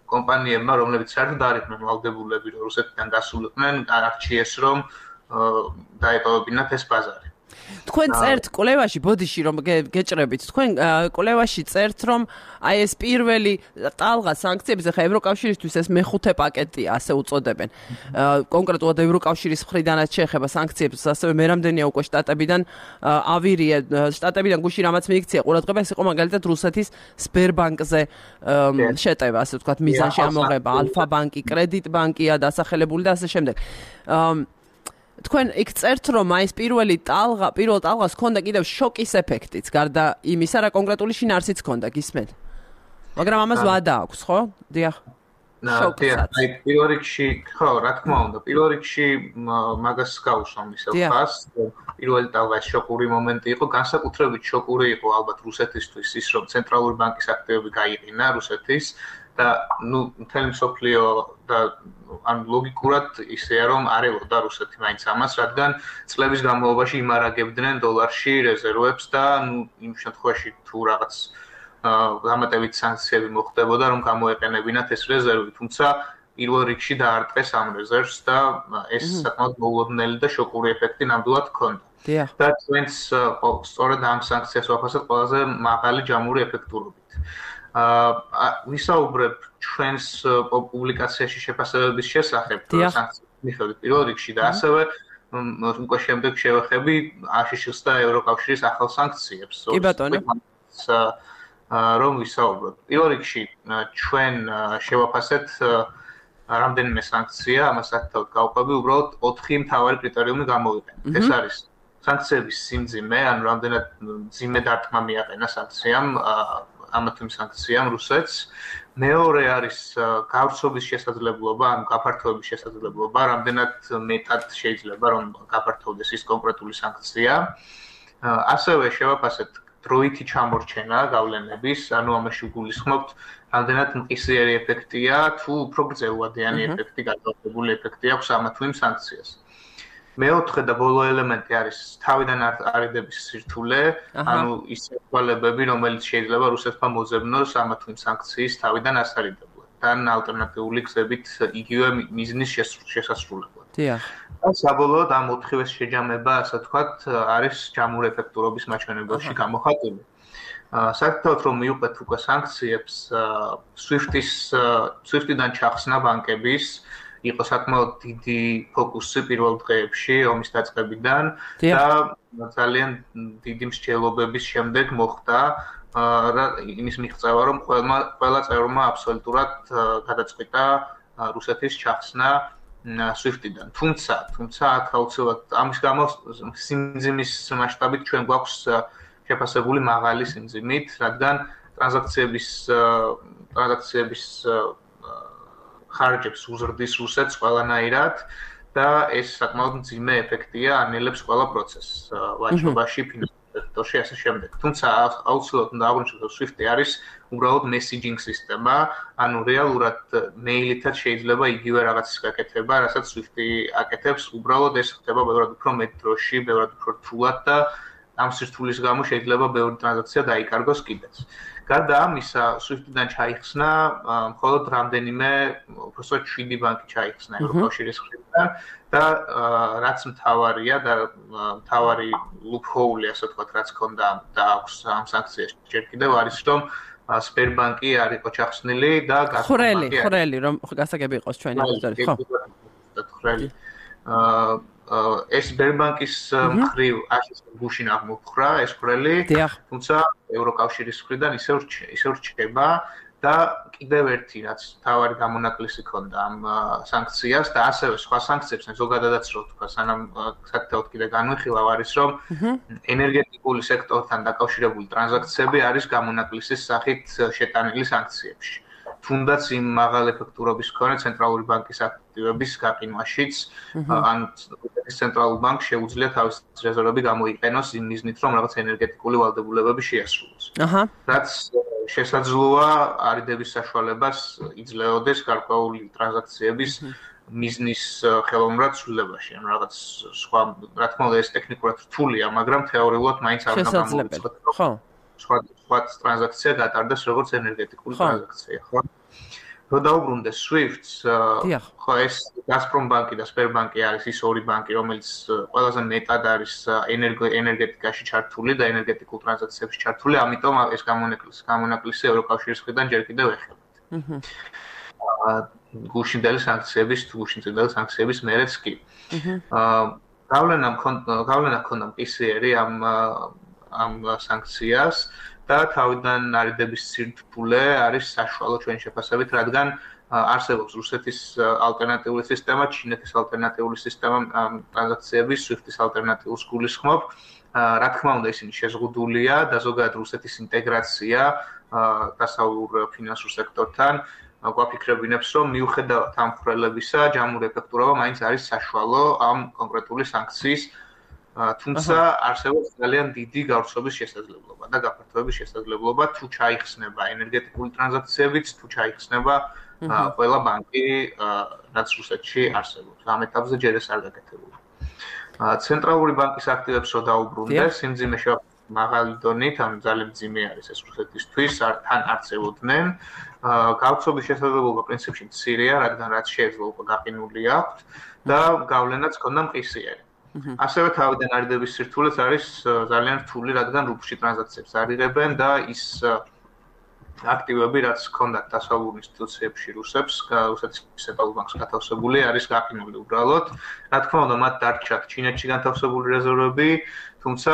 კომპანიებმა, რომლებიც საერთოდ არ იყვნენ ვალდებულები, რომ რუსეთიდან გასულიყვნენ, არჩიეს რომ დაეტოვებინათ ეს ბაზარი. თქვენ წერთ კვლევაში, ბოდიში რომ გეჭრებით, თქვენ კვლევაში წერთ, რომ აი ეს პირველი ტალღა სანქციებზე ხა ევროკავშირისთვის ეს მეხუთე პაკეტია, ასე უწოდებენ. კონკრეტულად ევროკავშირის მხრიდანაც შეეხება სანქციებს, ასევე მე რამდენია უკვე შტატებიდან ავირია, შტატებიდან გუში რამაც მიიქცია ყურადღება, ეს იყო მაგალითად რუსეთის სბერბანკზე შეტევა, ასე ვთქვათ, მიზანში ამოღება, ალფა ბანკი, კრედიტ ბანკია დასახელებული და ასე შემდეგ. თქვენ იქ წერთ, რომ აი ეს პირველი ტალღა, პირველ ტალღას ჰქონდა კიდევ შოკის ეფექტიც, გარდა იმისა, რა კონკრეტული შინაარსიც ჰქონდა, გისმენთ. მაგრამ ამას ვადა აქვს, ხო? დიახ. შოკსაც. აი პირველ რიგში, ხო, რა თქმა უნდა, პირველ რიგში მაგას გავუსვამ ისევ ხას, პირველი ტალღა შოკური მომენტი იყო, განსაკუთრებით შოკური იყო ალბათ რუსეთისთვის ის, რომ ცენტრალური ბანკის აქტივები გაიყინა რუსეთის და ნუ მთელი მსოფლიო და ან ლოგიკურად ისეა რომ არ ელოდა რუსეთი მაინც ამას, რადგან წლების განმავლობაში იმარაგებდნენ დოლარში რეზერვებს და ნუ იმ შემთხვევაში თუ რაღაც დამატებით სანქციები მოხდებოდა, რომ გამოეყენებინათ ეს რეზერვი, თუმცა პირველ რიგში დაარტყეს ამ რეზერვს და ეს საკმაოდ მოულოდნელი და შოკური ეფექტი ნამდვილად ჰქონდა. და ჩვენც სწორედ ამ სანქციას ვაფასებთ ყველაზე მაღალი ჯამური ეფექტურობით. ვისაუბრებ ჩვენს პუბლიკაციაში შეფასებების შესახებ სანქციების მიხედვით პირველ რიგში და ასევე უკვე შემდეგ შევეხები აშშ-ს და ევროკავშირის ახალ სანქციებს. კი ბატონო. რომ ვისაუბროთ. პირველ რიგში ჩვენ შევაფასეთ რამდენიმე სანქცია, ამას საკუთად გავყვები, უბრალოდ ოთხი მთავარი კრიტერიუმი გამოვიყენეთ. ეს არის სანქციების სიმძიმე, ან რამდენად მძიმე დარტყმა მიაყენა სანქციამ ამა თუ იმ სანქციამ რუსეთს. მეორე არის გავრცობის შესაძლებლობა, ან გაფართოების შესაძლებლობა, რამდენად მეტად შეიძლება რომ გაფართოვდეს ის კონკრეტული სანქცია. ასევე შევაფასეთ დროითი ჩამორჩენა გავლენების, ანუ ამაში გულისხმობთ, რამდენად მყისიერი ეფექტია, თუ უფრო გრძელვადიანი ეფექტი, გადავალებული ეფექტი აქვს ამა თუ იმ სანქციას. მეოთხე და ბოლო ელემენტი არის თავიდან არიდების სირთულე, ანუ ის საშუალებები, რომელიც შეიძლება რუსეთმა მოძებნოს ამა თუ იმ სანქციის თავიდან ასარიდებლად, თან ალტერნატიული გზებით იგივე მიზნის შესასრულებლად. დიახ. და საბოლოოდ ამ ოთხივეს შეჯამება, ასე ვთქვათ, არის ჯამურ ეფექტურობის მაჩვენებელში გამოხატული. საერთოდ რომ მივყვეთ უკვე სანქციებს, SWIFT-ის SWIFT-დან ჩახსნა ბანკების იყო საკმაოდ დიდი ფოკუსი პირველ დღეებში ომის დაწყებიდან და ძალიან დიდი მსჯელობების შემდეგ მოხდა იმის მიღწევა, რომ ყველა ყველა წევრმა აბსოლუტურად გადაწყვიტა რუსეთის ჩახსნა SWIFT-დან. თუმცა, თუმცა აქ აუცილებლად ამის გამო სიმძიმის მასშტაბით ჩვენ გვაქვს შეფასებული მაღალი სიმძიმით, რადგან ტრანზაქციების ტრანზაქციების ხარჯებს უზრდის რუსეთს ყველანაირად და ეს საკმაოდ მძიმე ეფექტია ანელებს ყველა პროცესს ვაჭრობაში, ფინანსურ სექტორში ასე შემდეგ. თუმცა აუცილებლად უნდა აღვნიშნოთ, რომ SWIFT-ი არის უბრალოდ messaging სისტემა, ანუ რეალურად მეილითაც შეიძლება იგივე რაღაცის გაკეთება, რასაც SWIFT-ი აკეთებს, უბრალოდ ეს ხდება ბევრად უფრო მეტ დროში, ბევრად უფრო რთულად და ამ სირთულის გამო შეიძლება ბევრი ტრანზაქცია დაიკარგოს კიდეც. გარდა ამისა, SWIFT-დან ჩაიხსნა მხოლოდ რამდენიმე, უბრალოდ შვიდი ბანკი ჩაიხსნა ევროკავშირის მხრიდან და რაც მთავარია და მთავარი loophole, ასე ვთქვათ, რაც ქონდა და აქვს ამ სანქციაში ჯერ კიდევ არის, რომ Sberbank-ი არ იყო ჩახსნილი და ხვრელი, ხვრელი, რომ გასაგები იყოს ჩვენი ბიზნესი, ხო? ხვრელი. ეს Sberbank-ის მხრივ არის გუშინ აღმოფხრა ეს ხვრელი, თუმცა ევროკავშირის მხრიდან ისევ ისევ რჩება და კიდევ ერთი რაც თავარი გამონაკლისი ქონდა ამ სანქციას და ასევე სხვა სანქციებს ზოგადადაც რო თქვა, სანამ საკეთოთ კიდე განვიხილავ არის რომ ენერგეტიკული სექტორთან დაკავშირებული ტრანზაქციები არის გამონაკლისის სახით შეტანილი სანქციებში. თუნდაც იმ მაღალ ეფექტურობის მქონე ცენტრალური ბანკის აქტივების გაყინვაშიც ან ცენტრალურ ბანკს შეუძლია თავის რეზერვები გამოიყენოს იმ მიზნით, რომ რაღაც ენერგეტიკული ვალდებულებები შეასრულოს. აჰა. რაც შესაძლოა არიდების საშუალებას იძლეოდეს გარკვეული ტრანზაქციების მიზნის ხელოვნურად ცვლილებაში. ანუ რაღაც სხვა, რა თქმა უნდა, ეს ტექნიკურად რთულია, მაგრამ თეორიულად მაინც არ უნდა გამოვიწყოთ. ხო. სხვა სხვა ტრანზაქცია გატარდეს როგორც ენერგეტიკული ტრანზაქცია, ხო? რო დაუბრუნდეს SWIFT-ს, ხო, ეს Gazprom ბანკი და Sberbank-ი არის ის ორი ბანკი, რომელიც ყველაზე მეტად არის ენერგეტიკაში ჩართული და ენერგეტიკულ ტრანზაქციებში ჩართული, ამიტომ ეს გამონაკლისი, გამონაკლისი ევროკავშირის მხრიდან ჯერ კიდევ ეხება. აჰა. გუშინდელი სანქციების, გუშინდელი სანქციების მერეც კი. აა გავლენა გავლენა ქონდა მყისიერი ამ ამ სანქციას და თავიდან არიდების სირთულე არის საშუალო ჩვენი შეფასებით, რადგან არსებობს რუსეთის ალტერნატიული სისტემა, ჩინეთის ალტერნატიული სისტემა ტრანზაქციების, SWIFT-ის ალტერნატიულს გულისხმობ. რა თქმა უნდა, ისინი შეზღუდულია და ზოგადად რუსეთის ინტეგრაცია დასავლურ ფინანსურ სექტორთან გვაფიქრებინებს, რომ მიუხედავად ამ ხვრელებისა, ჯამური ეფექტურობა მაინც არის საშუალო ამ კონკრეტული სანქციის თუმცა არსებობს ძალიან დიდი გავრცობის შესაძლებლობა და გაფართოების შესაძლებლობა თუ ჩაიხსნება ენერგეტიკული ტრანზაქციებიც, თუ ჩაიხსნება ყველა ბანკი, რაც რუსეთში არსებობს. ამ ეტაპზე ჯერ ეს არ გაკეთებულა. ცენტრალური ბანკის აქტივებს რო დაუბრუნდეს, სიმძიმე მაღალი დონით, ანუ ძალიან მძიმე არის ეს რუსეთისთვის, თან არც ელოდნენ. გავრცობის შესაძლებლობა პრინციპში მცირეა, რადგან რაც შეიძლება უკვე გაყინული აქვს და გავლენაც ქონდა მყისიერი. ასევე თავიდან არიდების სირთულეც არის ძალიან რთული, რადგან რუბლში ტრანზაქციებს არ იღებენ და ის აქტივები, რაც ჰქონდათ დასავლურ ინსტიტუციებში რუსებს, რუსეთის ცენტრალურ ბანკს გათავსებული, არის გაყინული უბრალოდ. რა თქმა უნდა, მათ დარჩათ ჩინეთში განთავსებული რეზერვები, თუმცა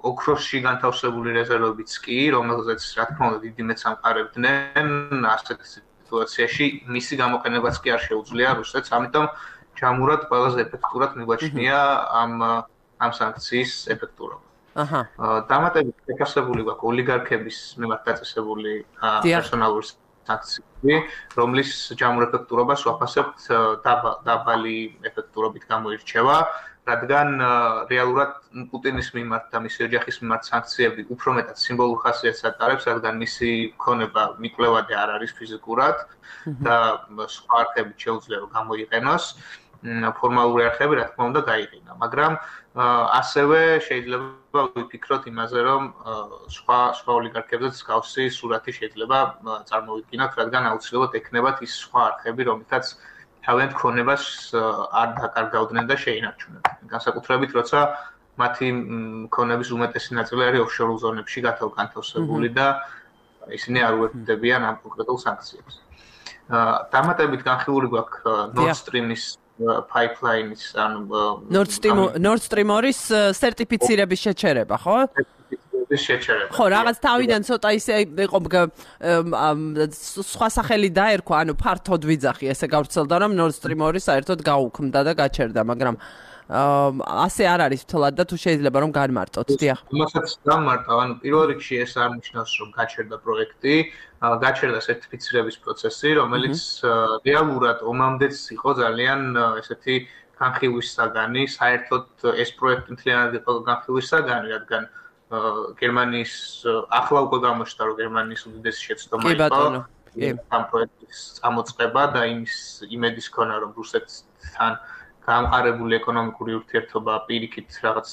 ოქროსში განთავსებული რეზერვებიც კი, რომელზეც რა თქმა უნდა დიდი მეც ამყარებდნენ, ასეთ სიტუაციაში მისი გამოყენებაც კი არ შეუძლია რუსეთს, ამიტომ ჯამურად ყველაზე ეფექტურად მიგვაჩნია ამ ამ სანქციის ეფექტურობა. აჰა. დამატებით შეფასებული გვაქვს ოლიგარქების მიმართ დაწესებული პერსონალური სანქციები, რომლის ჯამურ ეფექტურობას ვაფასებთ დაბალი ეფექტურობით გამოირჩევა, რადგან რეალურად პუტინის მიმართ და მისი ოჯახის მიმართ სანქციები უფრო მეტად სიმბოლურ ხასიათს ატარებს, რადგან მისი ქონება მიკვლევადი არ არის ფიზიკურად და სხვა არხებით შეუძლია რომ გამოიყენოს. ფორმალური არხები რა თქმა უნდა გაიყინა, მაგრამ ასევე შეიძლება ვიფიქროთ იმაზე, რომ სხვა სხვა ოლიგარქებზეც გავსი სურათი შეიძლება წარმოვიდგინოთ, რადგან აუცილებლად ექნებათ ის სხვა არხები, რომლითაც თავიანთ ქონებას არ დაკარგავდნენ და შეინარჩუნებდნენ. განსაკუთრებით, როცა მათი ქონების უმეტესი ნაწილი არის ოფშორულ ზონებში განთავსებული და ისინი არ უერთდებიან ამ კონკრეტულ სანქციებს. დამატებით განხილული გვაქვს Nord Stream-ის pipeline-ის ან Nord Stream Nord Stream ორი-ის სერტიფიცირების შეჩერება, ხო? შეჩერება. ხო, რაღაც თავიდან ცოტა ისე იყო სხვა სახელი დაერქვა, ანუ ფართოდ ვიძახი, ესე გავრცელდა, რომ Nord Stream ორი საერთოდ გაუქმდა და გაჩერდა, მაგრამ ასე არ არის თლად და თუ შეიძლება რომ განმარტოთ, დიახ. მასაც დამარტავ, ანუ პირველ რიგში ეს არ ნიშნავს, რომ გაჩერდა პროექტი, გაჩერდა სერტიფიცირების პროცესი, რომელიც რეალურად ომამდეც იყო ძალიან ესეთი განხილვის საგანი, საერთოდ ეს პროექტი მთლიანად იყო განხილვის საგანი, რადგან გერმანიის ახლა უკვე გამოჩნდა, რომ გერმანიის უდიდესი შეცდომა იყო ამ პროექტის წამოწყება და იმის იმედის ქონა, რომ რუსეთთან გამყარებული ეკონომიკური ურთიერთობა პირიქით რაღაც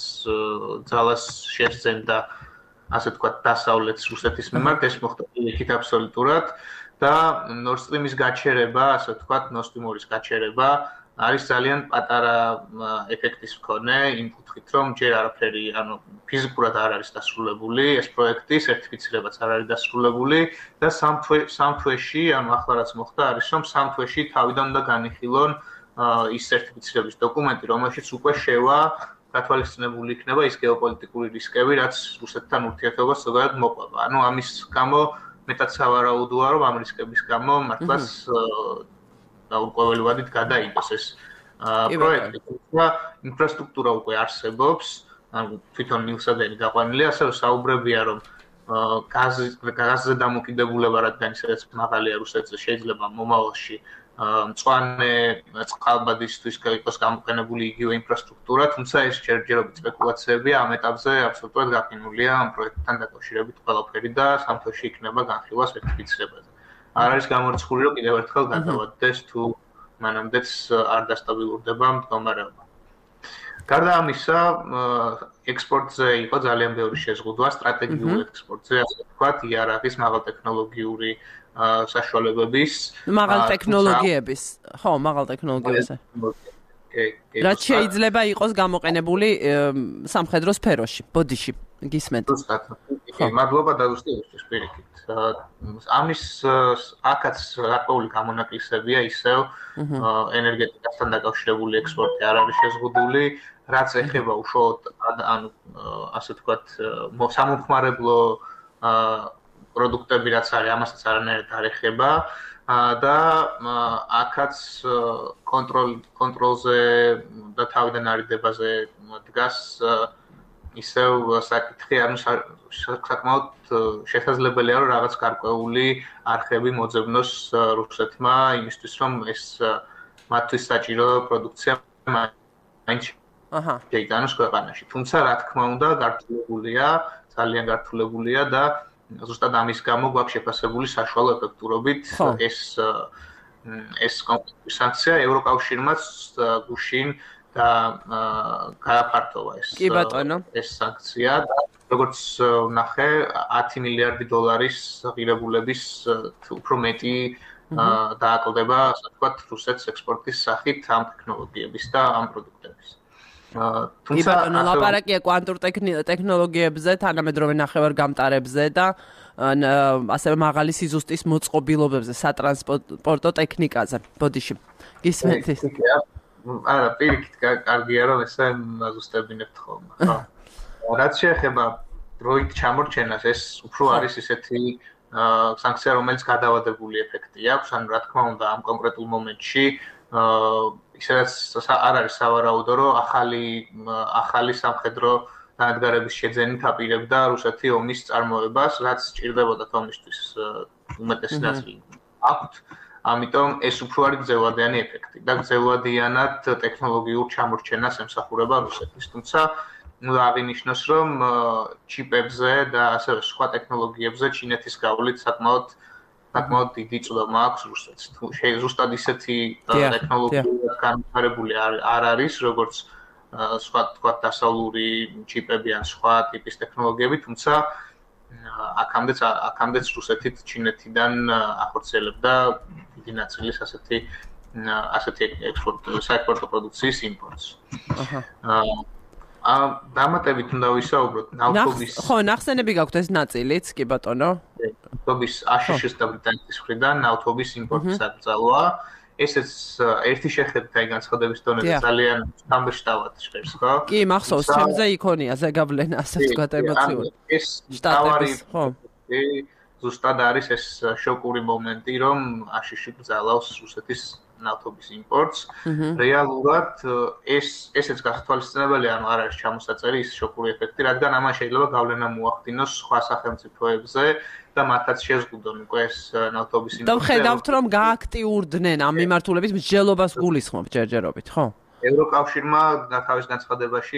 ძალას შეძენდა, ასე ვთქვათ, დასავლეთს რუსეთის მიმართ, ეს მოხდა პირიქით აბსოლუტურად და Nord Stream-ის გაჩერება, ასე ვთქვათ, Nord Stream ორი-ის გაჩერება არის ძალიან პატარა ეფექტის მქონე, იმ კუთხით, რომ ჯერ არაფერი, ანუ ფიზიკურად არ არის დასრულებული ეს პროექტი, სერტიფიცირებაც არ არის დასრულებული და სამ თვეში, ანუ ახლა რაც მოხდა, არის რომ სამ თვეში თავიდან უნდა განიხილონ ის სერტიფიცირების დოკუმენტი, რომელშიც უკვე შევა გათვალისწინებული იქნება ის გეოპოლიტიკური რისკები, რაც რუსეთთან ურთიერთობას ზოგადად მოყვება. ანუ ამის გამო მეტად სავარაუდოა, რომ ამ რისკების გამო მართლაც დაურკვეველი ვადით გადაიდოს ეს პროექტი. თუმცა ინფრასტრუქტურა უკვე არსებობს, ანუ თვითონ მილსადენი გაყვანილია, ასევე საუბრებია, რომ გაზზე დამოკიდებულება, რადგან ისედაც მაღალია რუსეთზე, შეიძლება მომავალში მწვანე წყალბადისთვის იყოს გამოყენებული იგივე ინფრასტრუქტურა, თუმცა ეს ჯერჯერობით სპეკულაციებია, ამ ეტაპზე აბსოლუტურად გაყინულია ამ პროექტთან დაკავშირებით ყველაფერი და სამ თვეში იქნება განხილვა სერტიფიცირებაზე. არ არის გამორიცხული, რომ კიდევ ერთხელ გადავადდეს თუ მანამდეც არ დასტაბილურდება მდგომარეობა. გარდა ამისა, ექსპორტზე იყო ძალიან ბევრი შეზღუდვა, სტრატეგიულ ექსპორტზე, ასე ვთქვათ, იარაღის მაღალტექნოლოგიური საშუალებების, მაღალ ტექნოლოგიების, ხო, მაღალ ტექნოლოგიებზე. რაც შეიძლება იყოს გამოყენებული სამხედრო სფეროში, ბოდიში, გისმენთ. მადლობა დაგუსტიებისთვის პირიქით. ამის აქაც გარკვეული გამონაკლისებია, ისევ ენერგეტიკასთან დაკავშირებული ექსპორტი არ არის შეზღუდული, რაც ეხება უშუალოდ ანუ ასე ვთქვათ სამომხმარებლო პროდუქტები რაც არის, ამასაც არანაირად არ ეხება და აქაც კონტროლ კონტროლზე და თავიდან არიდებაზე დგას ისევ საკითხი, ანუ საკმაოდ შესაძლებელია, რომ რაღაც გარკვეული არხები მოძებნოს რუსეთმა იმისთვის, რომ ეს მათთვის საჭირო პროდუქცია მაინც შეიტანოს ქვეყანაში. თუმცა, რა თქმა უნდა, გართულებულია, ძალიან გართულებულია და ზუსტად ამის გამო გვაქვს შეფასებული საშუალო ეფექტურობით ეს ეს კონკრეტული სანქცია ევროკავშირმაც გუშინ და გააფართოვა ეს ეს სანქცია და როგორც ვნახე ათი მილიარდი დოლარის ღირებულების უფრო მეტი დააკლდება, ასე ვთქვათ, რუსეთს ექსპორტის სახით ამ ტექნოლოგიების და ამ პროდუქტების. თუმცა ლაპარაკია კვანტურ ტექნოლოგიებზე, თანამედროვე ნახევარგამტარებზე და ასევე მაღალი სიზუსტის მოწყობილობებზე, სატრანსპორტო ტექნიკაზე. ბოდიში. გისმენთ ის? არა, პირიქით კარგია, რომ ესე ზუსტებინებთ ხოლმე. ხო. რაც შეეხება დროით ჩამორჩენას, ეს უფრო არის ისეთი სანქცია, რომელიც გადავადებული ეფექტი აქვს, ანუ რა თქმა უნდა, ამ კონკრეტულ მომენტში ისედაც არ არის სავარაუდო, რომ ახალი ახალი სამხედრო დანადგარების შეძენით აპირებდა რუსეთი ომის წარმოებას, რაც სჭირდებოდა ომისთვის უმეტესი ნაწილი აქვთ. ამიტომ ეს უფრო არის გრძელვადიანი ეფექტი და გრძელვადიანად ტექნოლოგიურ ჩამორჩენას ემსახურება რუსეთის. თუმცა აღინიშნოს, რომ ჩიპებზე და ასევე სხვა ტექნოლოგიებზე ჩინეთის გავლით საკმაოდ საკმაოდ დიდი წვდომა აქვს რუსეთს. ზუსტად ისეთი ტექნოლოგია განვითარებული არ არის, როგორც სხვა თქვა დასავლური ჩიპები ან სხვა ტიპის ტექნოლოგიები, თუმცა აქამდეც აქამდეც რუსეთით ჩინეთიდან ახორციელებდა დიდი ნაწილის ასეთი ასეთი ექსპორტ საექსპორტო პროდუქციის იმპორტს. აა დამატებით უნდა ვისაუბროთ ნავთობის ხო, ნახსენები გაქვთ ეს ნაწილიც, კი ბატონო. ნავთობის აშშ-ის და ბრიტანეთის მხრიდან ნავთობის იმპორტის აკრძალვა. ესეც ერთი შეხედვით აი განცხადების დონეზე ძალიან სამბეშტავად ჟღერს, ხო? კი, მახსოვს, ჩემზე იქონია ზეგავლენა, ასე ვთქვათ, ემოციური. ეს შტატების, ხო. ზუსტად არის ეს შოკური მომენტი, რომ აშშ გზალავს რუსეთის ნავთობის იმპორტს. რეალურად ეს ესეც გასათვალისწინებელი, ანუ არ არის ჩამოსაწერი ის შოკური ეფექტი, რადგან ამან შეიძლება გავლენა მოახდინოს სხვა სახელმწიფოებზე და მათაც შეზღუდონ უკვე ეს ნავთობის იმპორტი. და ხედავთ, რომ გააქტიურდნენ ამ მიმართულების მსჯელობას გულისხმობ ჯერჯერობით, ხო? ევროკავშირმა თავის განცხადებაში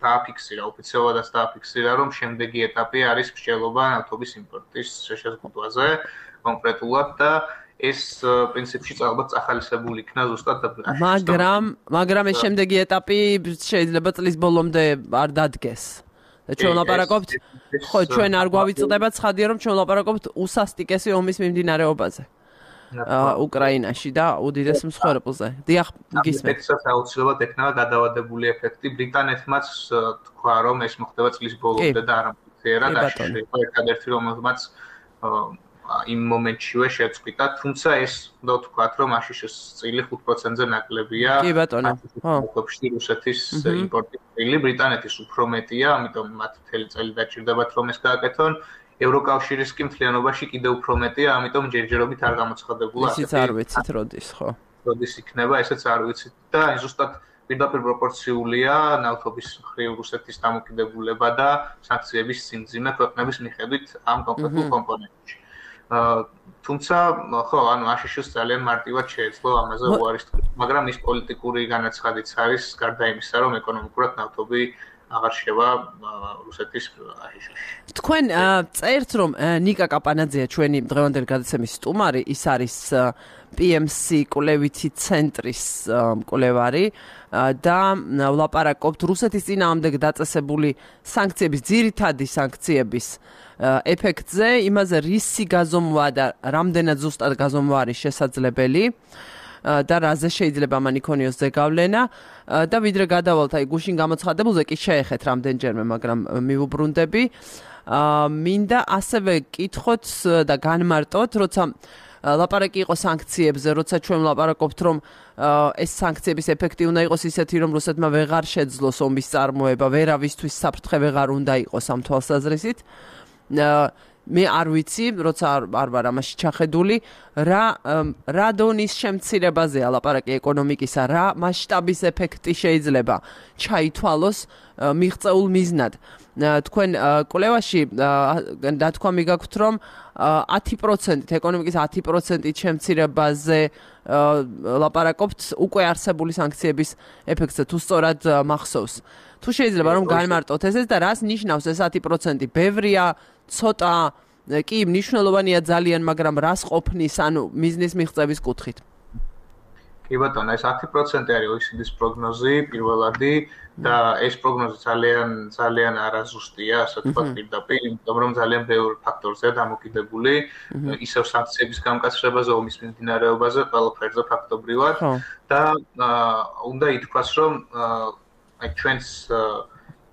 დააფიქსირა, ოფიციალურად დააფიქსირა, რომ შემდეგი ეტაპი არის მსჯელობა ნავთობის იმპორტის შეზღუდვაზე კონკრეტულად და ეს პრინციპში ალბათ წახალისებული იქნა ზუსტად მაგრამ მაგრამ ეს შემდეგი ეტაპი შეიძლება წლის ბოლომდე არ დადგეს. და ჩვენ ვლაპარაკობთ, ხო, ჩვენ არ გვავიწყდება ცხადია, რომ ჩვენ ვლაპარაკობთ უსასტიკესი ომის მიმდინარეობაზე. უკრაინაში და უდიდეს მსხვერპლზე. დიახ, გისმენთ. ეფექტსაც აუცილებლად ექნება გადავადებული ეფექტი. ბრიტანეთმაც თქვა, რომ ეს მოხდება წლის ბოლომდე და არა მცირად აშშ იყო ერთადერთი, რომელმაც იმ მომენტშივე შეწყვიტა, თუმცა ეს უნდა ვთქვათ, რომ აშშ-ის წილი ხუთ პროცენტზე ნაკლებია. კი ბატონო. ხო. რუსეთის იმპორტის წილი, ბრიტანეთის უფრო მეტია, ამიტომ მათ მთელი წელი დაჭირდებათ, რომ ეს გააკეთონ. ევროკავშირის კი მთლიანობაში კიდევ უფრო მეტია, ამიტომ ჯერჯერობით არ გამოცხადებულა. ისიც არ ვიცით როდის, ხო. როდის იქნება, ესეც არ ვიცით და ზუსტად პირდაპირ პროპორციულია ნავთობის მხრივ რუსეთის დამოკიდებულება და სანქციების სიმძიმე ქვეყნების მიხედვით ამ კონკრეტულ კომპონენტში. თუმცა ხო, ანუ აშშ-ს ძალიან მარტივად შეეძლო ამაზე უარის თქვა, მაგრამ ის პოლიტიკური განაცხადიც არის გარდა იმისა, რომ ეკონომიკურად ნავთობი აღარ შევა რუსეთის აშშ-ში. თქვენ წერთ, რომ ნიკა კაპანაძეა ჩვენი დღევანდელი გადაცემის სტუმარი, ის არის პი ემ სი კვლევითი ცენტრის მკვლევარი და ვლაპარაკობთ რუსეთის წინააღმდეგ დაწესებული სანქციების, ძირითადი სანქციების ეფექტზე, იმაზე რისი გაზომვა და რამდენად ზუსტად გაზომვა არის შესაძლებელი და რაზე შეიძლება მან იქონიოს ზეგავლენა და ვიდრე გადავალთ აი გუშინ გამოცხადებულზე კი შეეხეთ რამდენჯერმე, მაგრამ მივუბრუნდები. მინდა ასევე კითხოთ და განმარტოთ, როცა ლაპარაკი იყო სანქციებზე, როცა ჩვენ ვლაპარაკობთ, რომ ეს სანქციების ეფექტი უნდა იყოს ისეთი, რომ რუსეთმა ვეღარ შეძლოს ომის წარმოება, ვერავისთვის საფრთხე ვეღარ უნდა იყოს ამ თვალსაზრისით. მე არ ვიცი, როცა არ ვარ ამაში ჩახედული, რა რა დონის შემცირებაზეა ლაპარაკი ეკონომიკისა, რა მასშტაბის ეფექტი შეიძლება ჩაითვალოს მიღწეულ მიზნად. თქვენ კვლევაში დათქვამი გაქვთ, რომ ათი პროცენტით ეკონომიკის ათი პროცენტით შემცირებაზე ლაპარაკობთ უკვე არსებული სანქციების ეფექტზე, თუ სწორად მახსოვს. თუ შეიძლება რომ განმარტოთ ესეც და რას ნიშნავს ეს ათი პროცენტი? ბევრია, ცოტა, კი, მნიშვნელოვანია ძალიან, მაგრამ რას ყოფნის, ანუ მიზნის მიღწევის კუთხით? კი ბატონო, ეს ათი პროცენტი არის ო ე სი დი-ის პროგნოზი პირველადი და ეს პროგნოზი ძალიან ძალიან არაზუსტია, ასე ვთქვათ, პირდაპირ, იმიტომ რომ ძალიან ბევრი ფაქტორზეა დამოკიდებული, ისევ სანქციების გამკაცრებაზე, ომის მიმდინარეობაზე, ყველაფერზე ფაქტობრივად და უნდა ითქვას, რომ აი ჩვენს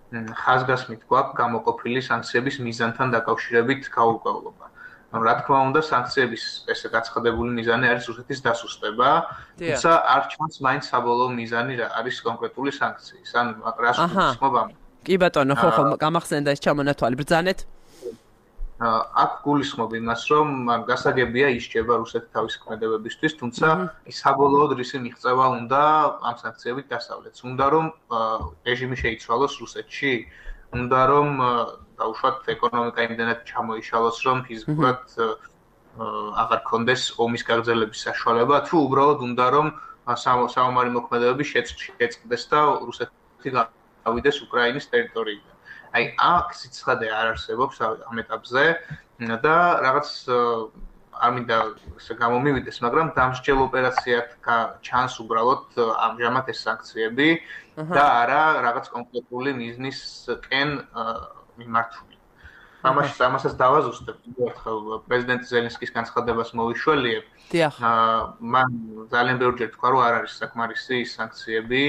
ხაზგასმით გვაქვს გამოყოფილი სანქციების მიზანთან დაკავშირებით გაურკვევლობა. ანუ რა თქმა უნდა, სანქციების ესე გაცხადებული მიზანი არის რუსეთის დასუსტება, თუმცა არ ჩანს მაინც საბოლოო მიზანი რა არის კონკრეტული სანქციის. ანუ რას გულისხმობ ამ? კი ბატონო, ხო ხო, გამახსენდა ეს ჩამონათვალი. ბრძანეთ. აქ გულისხმობ იმას, რომ გასაგებია ისჭება რუსეთი თავის ქმედებებისთვის, თუმცა საბოლოოდ რისი მიღწევა უნდა ამ სანქციებით დასავლეთს. უნდა რომ რეჟიმი შეიცვალოს რუსეთში, უნდა რომ დაუშვათ ეკონომიკა იმდენად ჩამოიშალოს, რომ ფიზიკურად აღარ კონდეს ომის გაგრძელების საშუალება, თუ უბრალოდ უნდა რომ საომარი მოქმედებები შეწყდეს და რუსეთი გავიდეს უკრაინის ტერიტორიიდან. აი აქ სიცხადე არ არსებობს ამ ეტაპზე და რაღაც არ მინდა ესე გამომივიდეს, მაგრამ დამსჯელ ოპერაციად ჩანს უბრალოდ ამჟამად ეს სანქციები და არა რაღაც კონკრეტული მიზნისკენ მიმართული. ამაში ამასაც დავაზუსტებ, ერთხელ პრეზიდენტ ზელენსკის განცხადებას მოვიშველიებ. დიახ. მან ძალიან ბევრჯერ თქვა, რომ არ არის საკმარისი ის სანქციები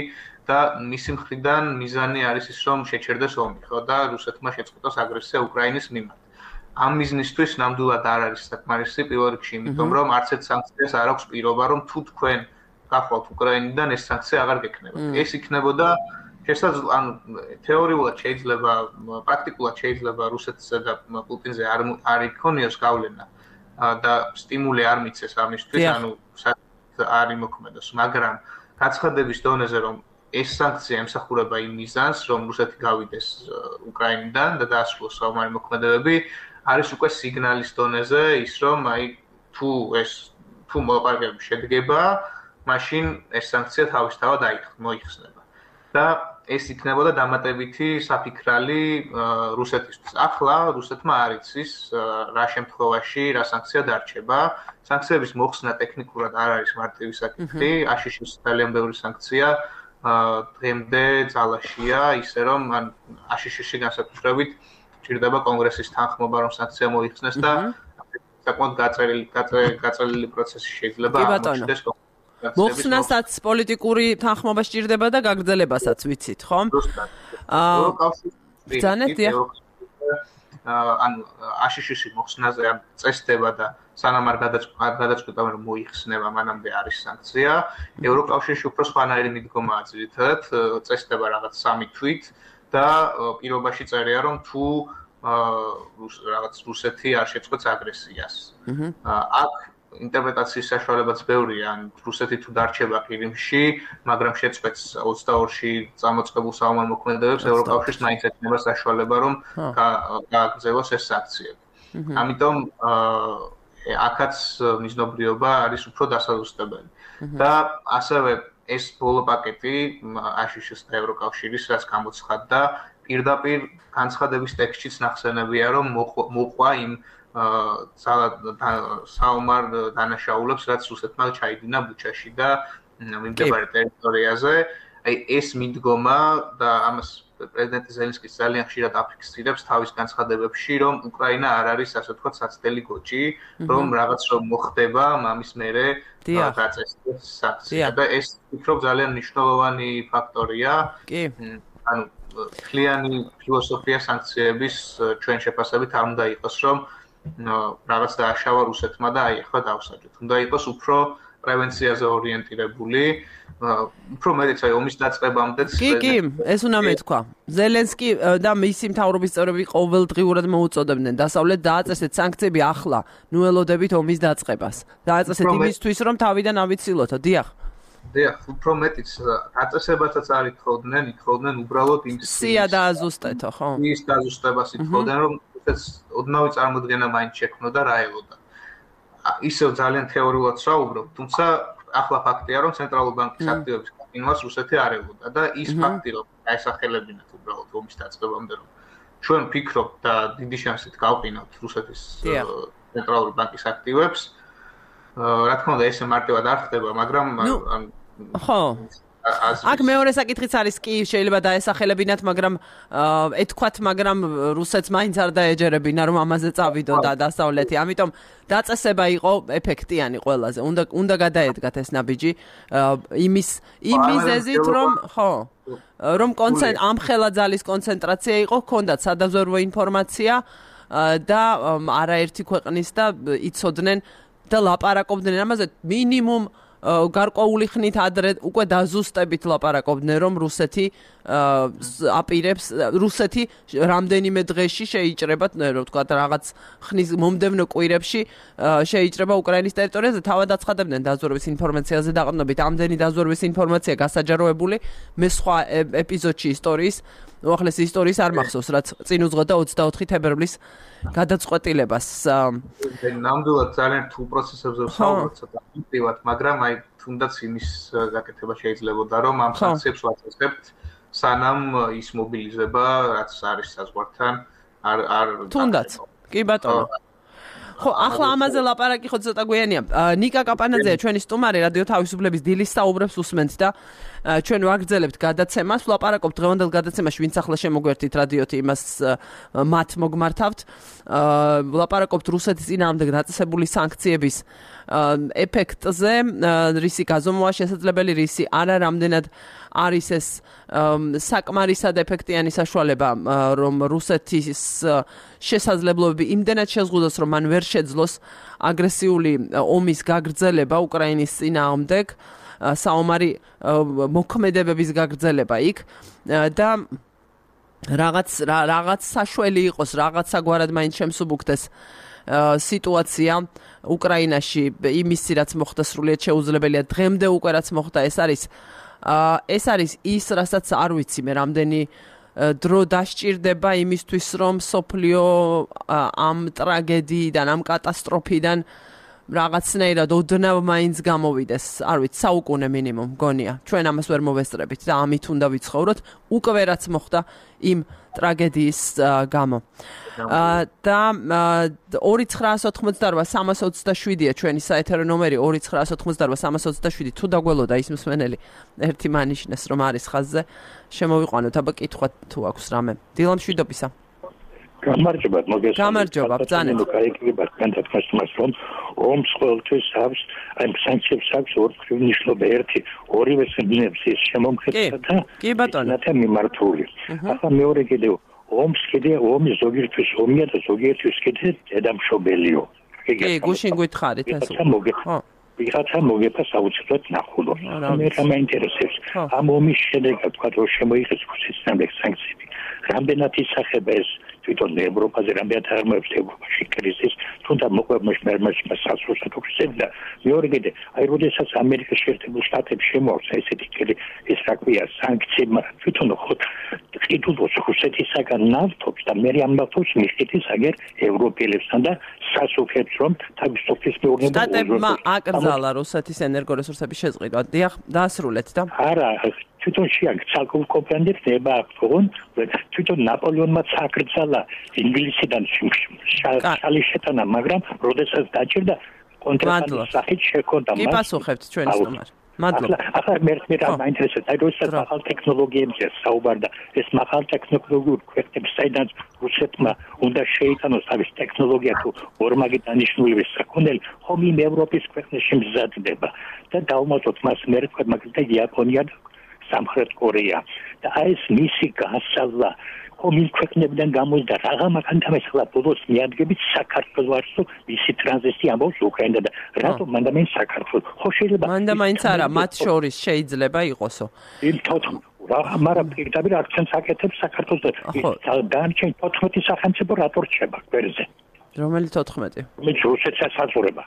და მისი მხრიდან მიზანი არის ის, რომ შეჩერდეს ომი, ხო და რუსეთმა შეწყვიტოს აგრესია უკრაინის მიმართ. ამ მიზნისთვის ნამდვილად არ არის საკმარისი პირველ რიგში, იმიტომ რომ არც ერთ სანქციას არ აქვს პირობა, რომ თუ თქვენ გახვალთ უკრაინიდან ეს სანქცია აღარ გექნებათ. ეს იქნებოდა შესაძლოა, ანუ თეორიულად შეიძლება, პრაქტიკულად შეიძლება რუსეთსა და პუტინზე არ არ იქონიოს გავლენა და სტიმული არ მიცეს ამისთვის, ანუ არ იმოქმედოს, მაგრამ გაცხადების დონეზე რომ ეს სანქცია ემსახურება იმ მიზანს, რომ რუსეთი გავიდეს უკრაინიდან და დაასრულოს საომარი მოქმედებები, არის უკვე სიგნალის დონეზე ის, რომ აი თუ ეს თუ მოლაპარაკებები შედგება, მაშინ ეს სანქცია თავისთავად მოიხსნება. და ეს იქნებოდა დამატებითი საფიქრალი რუსეთისთვის. ახლა რუსეთმა არ იცის რა შემთხვევაში რა სანქცია დარჩება. სანქციების მოხსნა ტექნიკურად არ არის მარტივი საკითხი, აშშ-ის ძალიან ბევრი სანქცია დღემდე ძალაშია, ისე რომ ან აშშ-ში განსაკუთრებით ჭირდება კონგრესის თანხმობა, რომ სანქცია მოიხსნეს და საკმაოდ გაწერილი გაწერილი პროცესი შეიძლება აღმოჩნდეს. მოხსნასაც პოლიტიკური თანხმობა სჭირდება და გაგრძელებასაც ვიცით, ხო? აა ბრძანეთ, დიახ. ანუ აშშ-ში მოხსნაზე ამ წესდება და სანამ არ გადაწყვეტა რომ მოიხსნება, მანამდე არის სანქცია. ევროკავშირში უფრო სხვანაირი მიდგომაა ძირითადად, წესდება რაღაც სამი თვით და პირობაში წერია რომ თუ რაღაც რუსეთი არ შეწყვეტს აგრესიას. აქ ინტერპრეტაციის საშუალებაც ბევრია, ან რუსეთი თუ დარჩება ყირიმში, მაგრამ შეწყვეტს ოცდაორში წამოწყებულ საომარ მოქმედებებს, ევროკავშირს მაინც ექნება საშუალება, რომ გააგრძელოს ეს სანქციები. ამიტომ აქაც მიზნობრიობა არის უფრო დასაზუსტებელი. და ასევე ეს ბოლო პაკეტი აშშ-ის და ევროკავშირის რაც გამოცხადდა, პირდაპირ განცხადების ტექსტშიც ნახსენებია, რომ მოყვა იმ საომარ დანაშაულებს, რაც რუსეთმა ჩაიდინა ბუჩაში და მიმდებარე ტერიტორიაზე. აი ეს მიდგომა და ამას პრეზიდენტ ზელენსკი ძალიან ხშირად აფიქსირებს თავის განცხადებებში, რომ უკრაინა არ არის, ასე ვთქვათ, საცდელი გოჭი, რომ რაღაც რომ მოხდება, მამის მერე დაწესდეს სანქცია და ეს ვფიქრობ ძალიან მნიშვნელოვანი ფაქტორია. კი. ანუ კლიანი ფილოსოფია სანქციების ჩვენ შეფასებით არ უნდა იყოს, რომ რაღაც დააშავა რუსეთმა და აი ახლა დავსაჯოთ. უნდა იყოს უფრო პრევენციაზე ორიენტირებული, უფრო მეტიც აი ომის დაწყებამდეც. კი, კი, ეს უნდა მეთქვა. ზელენსკი და მისი მთავრობის წევრები ყოველდღიურად მოუწოდებდნენ დასავლეთ დააწესეთ სანქციები ახლა, ნუ ელოდებით ომის დაწყებას. დააწესეთ იმისთვის, რომ თავიდან ავიცილოთო, დიახ. დიახ, უფრო მეტიც დაწესებასაც არ ითხოვდნენ, ითხოვდნენ უბრალოდ იმ სია დააზუსტეთო, ხო? ის დააზუსტებას ითხოვდნენ, რომ ეს ოდნავი წარმოდგენა მაინც შექმნოდა რა ელოდა. ისევ ძალიან თეორიულად საუბრობ, თუმცა ახლა ფაქტია, რომ ცენტრალური ბანკის აქტივების გაყინვას რუსეთი არ ელოდა და ის ფაქტი, რომ დაესახელებინათ უბრალოდ ომის დაწყებამდე, რომ ჩვენ ვფიქრობთ და დიდი შანსით გავყინოთ რუსეთის ცენტრალური ბანკის აქტივებს, რა თქმა უნდა, ესე მარტივად არ ხდება, მაგრამ ხო. აქ მეორე საკითხიც არის კი შეიძლება დაესახელებინათ, მაგრამ ეთქვათ, მაგრამ რუსეთს მაინც არ დაეჯერებინა, რომ ამაზე წავიდო და დასავლეთი. ამიტომ დაწესება იყო ეფექტიანი ყველაზე. უნდა უნდა გადაედგათ ეს ნაბიჯი იმის იმ მიზეზით, რომ ხო, რომ ამხელა ძალის კონცენტრაცია იყო, ჰქონდათ სადაზვერვო ინფორმაცია და არაერთი ქვეყნის და იცოდნენ და ლაპარაკობდნენ ამაზე მინიმუმ გარკვეული ხნით ადრე უკვე დაზუსტებით ლაპარაკობდნენ, რომ რუსეთი აპირებს, რუსეთი რამდენიმე დღეში შეიჭრება, რო ვთქვა, რაღაც ხნის მომდევნო კვირებში შეიჭრება უკრაინის ტერიტორიაზე, თავად აცხადებდნენ დაზვერვის ინფორმაციაზე დაყრდნობით. ამდენი დაზვერვის ინფორმაცია გასაჯაროებული მე სხვა ეპიზოდში ისტორიის, უახლესი ისტორიის არ მახსოვს, რაც წინ უძღვოდა ოცდაოთხი თებერვლის გადაწყვეტილებას. ნამდვილად ძალიან რთულ პროცესებზე ვსაუბრობ ცოტა პრივატ, მაგრამ აი თუნდაც იმის გაკეთება შეიძლებოდა, რომ ამ სანქციებს ვაწესებთ, სანამ ის მობილიზება, რაც არის საზღვართან, არ არ თუნდაც. კი ბატონო. ხო, ახლა ამაზე ლაპარაკი ხო ცოტა გვიანია. ნიკა კაპანაძეა ჩვენი სტუმარი, რადიო თავისუფლების დილის საუბრებს უსმენთ და ჩვენ ვაგრძელებთ გადაცემას, ვლაპარაკობთ დღევანდელ გადაცემაში, ვინც ახლა შემოგვერთით რადიოთი, იმას მათ მოგმართავთ. ვლაპარაკობთ რუსეთის წინააღმდეგ დაწესებული სანქციების ეფექტზე, რისი გაზომვა შესაძლებელი, რისი არა, რამდენად არის ეს საკმარისად ეფექტიანი საშუალება, რომ რუსეთის შესაძლებლობები იმდენად შეზღუდოს, რომ მან ვერ შეძლოს აგრესიული ომის გაგრძელება უკრაინის წინააღმდეგ, საომარი მოქმედებების გაგრძელება იქ და რაღაც რაღაც საშველი იყოს, რაღაც საგვარად მაინც შემსუბუქდეს სიტუაცია უკრაინაში, იმისი რაც მოხდა სრულიად შეუძლებელია დღემდე უკვე რაც მოხდა, ეს არის ეს არის ის, რასაც არ ვიცი მე, რამდენი დრო დასჭირდება იმისთვის, რომ სოფლიო ამ ტრაგედიიდან, ამ კატასტროფიდან რაღაცნაირად ოდნავ მაინც გამოვიდეს, არ ვიცი, საუკუნე მინიმუმ გონია. ჩვენ ამას ვერ მოვესწრებით და ამით უნდა ვიცხოვროთ, უკვე რაც მოხდა იმ ტრაგედიის გამო. და ორი ცხრაას ოთხმოცდაორვა სამას ოცდაშვიდია ჩვენი საეთერო ნომერი ორი ცხრაას ოთხმოცდაორვა სამას ოცდაშვიდი. თუ დაგველოდა ის მსმენელი ერთი მანიშნეს რომ არის ხაზზე, შემოვიყვანოთ, აბა კითხვა თუ აქვს რამე. დილა მშვიდობისა. გამარჯობა, მოგესალმებით. გამარჯობა, ბრძანეთ. გაიგებათ განთქმას რომ ომს ყოველთვის აქვს, აი სანქციებს აქვს ორი მნიშვნელობა, ერთი ორივე სინებს ის შემომხედა და კი ბატონო. და მიმართული. ახლა მეორე კიდევ ომს კიდე ომი ზოგიერთის ომია და ზოგიერთის კიდე დედამშობელიო. კი, გუშინ გითხარით ეს. ხო. ვიღაცა მოგეფას აუცილებლად ნახულო. მე რა მაინტერესებს. ამ ომის შედეგად თქვა რომ შემოიღეს რუსეთის სანქციები. რამდენად ისახება ეს თვითონ ევროპაზე, რამდენად აღმოჩნდა ევროპაში კრიზის, თუნდაც მოყვებმოშ მერმაში მასალსად უხსენდა. მეორე კიდე, აი როდესაც ამერიკის შეერთებულ შტატებს შემოაქვს ესეთი კრი ეს რა ქვია სანქციები, თვითონ ხო ყიდულოს რუსეთისაგან ნავთობს და მე ამ ნავთობს მიხეთის აგერ ევროპელებსთან და სასუქებს რომ თავისუფლის მეურნეობა შტატებმა აკრძალა რუსეთის ენერგორესურსების შეწყვეტა. დიახ, დაასრულეთ და არა თვითონ შეაგ ცალკეულ კომპანიებს ნება აქვს, თვითონ ნაპოლეონმა აკრძალა ინგლისიდან შალი შეტანა, მაგრამ როდესაც დაჭირდა კონტრაბანდის სახით შექონდა მას. კი პასუხებთ ჩვენი სტუმარი. მადლობა. ახლა მე მე რა მაინტერესებს, აი როდესაც ახალ ტექნოლოგიებზე საუბარდა, ეს ახალ ტექნოლოგიურ ქვეყნებს საიდან რუსეთმა უნდა შეიტანოს თავის ტექნოლოგია თუ ორმაგი დანიშნულების საქონელი, ხომ იმ ევროპის ქვეყნებში მზადდება და დავუმატოთ მას მე თქვა მაგალითად იაპონია და სამხრეთ კორეა და აი ეს მისი გასავლა ხომ იმ ქვეყნებიდან გამოსდა რაღა მაგალითად ახლა ბოლოს მიადგებით საქართველოს მისი ტრანზიტი ამბობს უკრაინა და რატომ მანდა მე საქართველოს ხო შეიძლება მანდა მაინც არა მათ შორის შეიძლება იყოსო იმ თოთხმეტ რაღა მაგრამ პირდაპირ აქცენტს აკეთებს საქართველოს და დანარჩენ თოთხმეტი სახელმწიფო რატო რჩება გვერდზე რომელი თოთხმეტი მე რუსეთსაც აზურება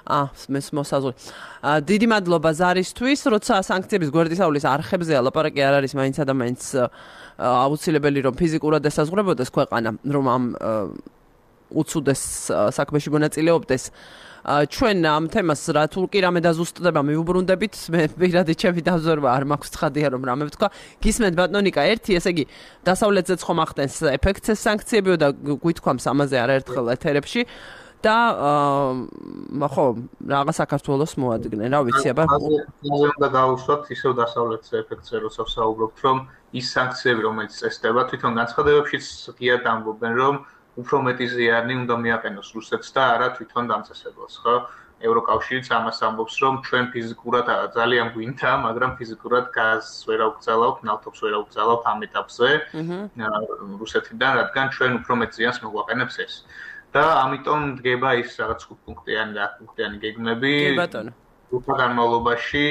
აა მის მოსაზრ. დიდი მადლობა ზარისთვის, როცა სანქციების გვერდისავლის არხებზე ლაპარაკი არ არის მაინც და მაინც აუცილებელი რომ ფიზიკურად ესაზღვრებოდეს ქვეყანა, რომ ამ უცუდეს საქმეში მონაწილეობდეს. ჩვენ ამ თემას რა თუ კი რამე დაზუსტდება მივუბრუნდებით, მე პირადი ჩემი დაზორვა არ მაქვს ცხადია რომ რამე ვთქვა. გისმენთ ბატონიკა ერთი, ესე იგი დასავლეთზეც ხომ ახდენს ეფექტს ეს სანქციებიო და გვითქვამს ამაზე არაერთხელ ეთერებში. და ხო რაღა საქართველოს მოადგნენ რა ვიცი აბა უნდა გავუშვათ ისევ დასავლეთის ეფექტზე როცა ვსაუბრობთ რომ ის სანქციები რომელიც წესდება თვითონ განცხადებებშიც ღიად ამბობენ რომ უფრო მეტი ზიანი უნდა მიაყენოს რუსეთს და არა თვითონ დამწესებელს ხო ევროკავშირიც ამას ამბობს რომ ჩვენ ფიზიკურად ძალიან გვინდა მაგრამ ფიზიკურად გაზს ვერ აუგზავნებთ ნავთობს ვერ აუგზავნებთ ამ ეტაპზე რუსეთიდან რადგან ჩვენ უფრო მეტ ზიანს მოგვაყენებს ეს და ამიტომ დგება ის რაღაც ხუთპუნქტიანი და ათპუნქტიანი გეგმები უფრო განმავლობაში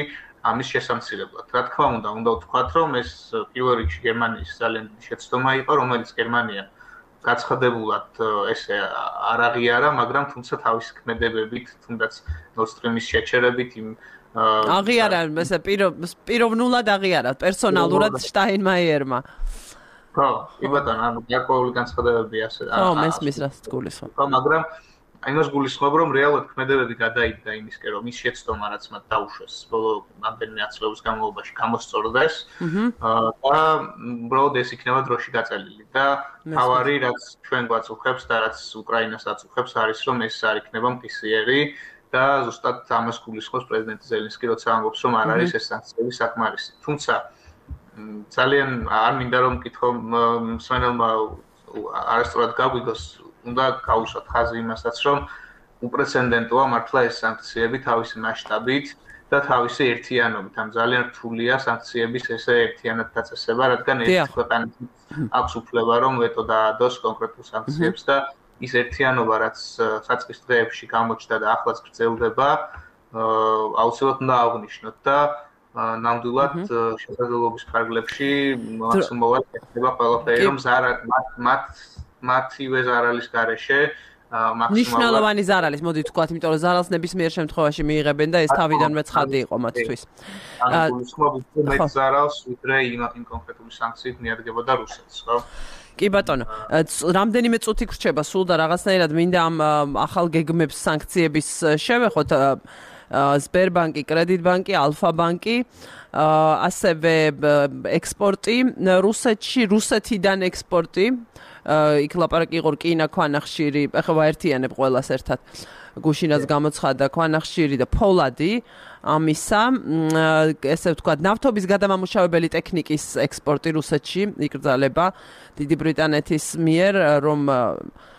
ამის შესამცირებლად. რა თქმა უნდა, უნდა ვთქვათ, რომ ეს პირველ რიგში გერმანიის ძალიან დიდი შეცდომა იყო, რომელიც გერმანია გაცხადებულად ესე არ აღიარა, მაგრამ თუმცა თავისი ქმედებებით, თუნდაც Nord Stream-ის შეჩერებით იმ აღიარა, ესე პიროვნულად აღიარა, პერსონალურად შტაინმაიერმა. ხო, კი ბატონო, ანუ გარკვეული განცხადებები ასე. ხო, მესმის რას გულისხმობ. ხო, მაგრამ აი მას გულისხმობ, რომ რეალურად ქმედებები გადაიდგა იმისკენ, რომ ის შეცდომა, რაც მათ დაუშვეს, ბოლო რამდენიმე ათწლეულის განმავლობაში გამოსწორდეს და უბრალოდ ეს იქნება დროში გაწელილი და თავარი, რაც ჩვენ გვაწუხებს და რაც უკრაინას აწუხებს, არის რომ ეს არ იქნება მყისიერი და ზუსტად ამას გულისხმობს პრეზიდენტი ზელენსკი, როცა ამბობს, რომ არ არის ეს სანქციები საკმარისი. თუმცა ძალიან არ მინდა რომ მკითხო მსმენელმა არასწორად გაგვიგოს, უნდა გავუსვათ ხაზი იმასაც, რომ უპრეცედენტოა მართლა ეს სანქციები თავისი მასშტაბით და თავისი ერთიანობით. ამ ძალიან რთულია სანქციების ესე ერთიანად დაწესება, რადგან ერთ ქვეყანას აქვს უფლება რომ ვეტო დაადოს კონკრეტულ სანქციებს და ის ერთიანობა, რაც საწყის დღეებში გამოჩნდა და ახლაც გრძელდება, აუცილებლად უნდა აღნიშნოთ და ნამდვილად შესაძლებლობის ფარგლებში მაქსიმალურად ეხება ყველაფერი, რომ მათ მათივე ზარალის გარეშე ნიშნულოვანი ზარალის, მოდი ვთქვათ, იმიტომ რომ ზარალს ნებისმიერ შემთხვევაში მიიღებენ და ეს თავიდანვე ცხადი იყო მათთვის. ანუ გულისხმობ უფრო მეტ ზარალს, ვიდრე იმ კონკრეტული სანქციით მიადგებოდა რუსეთს, ხო? კი ბატონო, რამდენიმე წუთი გრჩება სულ და რაღაცნაირად მინდა ამ ახალ გეგმებს სანქციების შევეხოთ. Sberbanki, კრედიტბანკი, ალფა-ბანკი, ასევე ექსპორტი, რუსეთში, რუსეთიდან ექსპორტი, იქ ლაპარაკი იყო რკინა, ქვანახშირი, ეხლა ვაერთიანებ ყველას ერთად. გუშინაც გამოცხადა ქვანახშირი და ფოლადი, ამისა, ესე ვთქვათ, ნავთობის გადამამუშავებელი ტექნიკის ექსპორტი რუსეთში იკრძალება დიდი ბრიტანეთის მიერ, რომ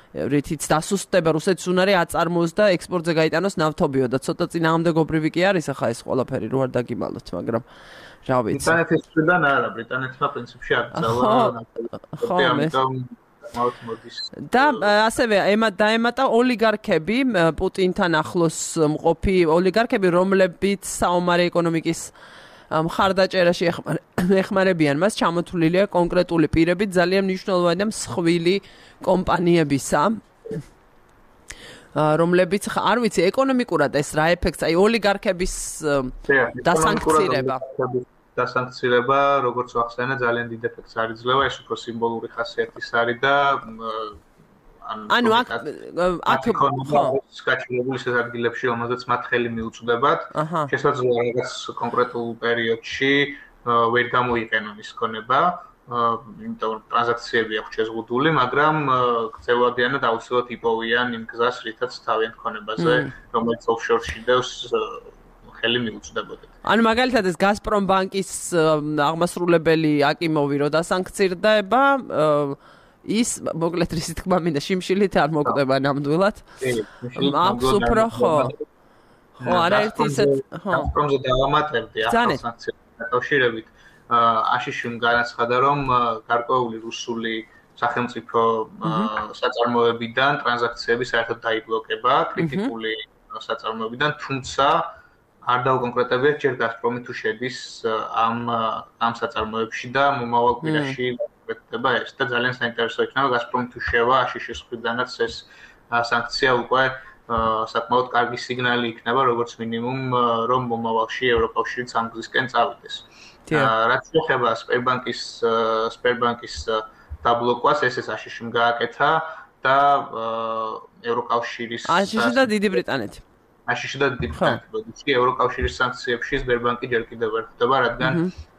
რითიც დასუსტდება რუსეთის უნარი აწარმოოს და ექსპორტზე გაიტანოს ნავთობიო და ცოტა წინააღმდეგობრივი კი არის ახლა ეს ყველაფერი რო არ დაგიმალოთ, მაგრამ რა ვიცი. ბრიტანეთისგან არა, ბრიტანეთმა პრინციპში აკრძალა ამიტომ და ასევე დაემატა ოლიგარქები, პუტინთან ახლოს მყოფი ოლიგარქები, რომლებიც საომარი ეკონომიკის მხარდაჭერაში ეხმარებიან მას, ჩამოთვლილია კონკრეტული პირებით, ძალიან მნიშვნელოვანი და მსხვილი კომპანიებისა, რომლებიც არ ვიცი ეკონომიკურად ეს რა ეფექტს, აი ოლიგარქების დასანქცირება. დასანქცირება, როგორც ვახსენე, ძალიან დიდ ეფექტს არ იძლევა, ეს უფრო სიმბოლური ხასიათის არის და ანუ აქ აქ გაჩვენებული ეს ადგილებში, რომელზეც მათ ხელი მიუწვდებათ, შესაძლოა რაღაც კონკრეტულ პერიოდში ვერ გამოიყენონ ის ქონება, იმიტომ რომ ტრანზაქციები აქვს შეზღუდული, მაგრამ გრძელვადიანად აუცილებლად იპოვიან იმ გზას, რითაც თავიანთ ქონებაზე, რომელიც ოფშორში დევს, ხელი მიუწვდებოდათ. ანუ მაგალითად ეს გაზპრომ ბანკის აღმასრულებელი აკიმოვი რო დასანქცირდება, ის მოკლედ რისი თქმა მინდა შიმშილით არ მოკვდება ნამდვილად. აქვს უფრო ხო. ხო, არაერთი ისეთ, ხო. გაზპრომზე დავამატებდი ახალ სანქციებთან დაკავშირებით. აშიშიმ განაცხადა, რომ გარკვეული რუსული სახელმწიფო საწარმოებიდან ტრანზაქციები საერთოდ დაიბლოკება, კრიტიკული საწარმოებიდან, თუმცა არ დაუკონკრეტებიათ ჯერ გაზპრომი თუ შედის ამ ამ საწარმოებში და მომავალ კვირაში ხდება ეს და ძალიან საინტერესო იქნება გაზპრომი თუ შევა აშიშის მხრიდანაც ეს სანქცია უკვე საკმაოდ კარგი სიგნალი იქნება როგორც მინიმუმ რომ მომავალში ევროკავშირიც ამ გზისკენ წავიდეს. რაც შეეხება სპერბანკის სპერბანკის დაბლოკვას ესეც აშიშიმ გააკეთა და ევროკავშირის აშიში და დიდი ბრიტანეთი აშიში და დიდი ბრიტანეთი ევროკავშირის სანქციებში სპერბანკი ჯერ კიდევ ვერ ხდება რადგან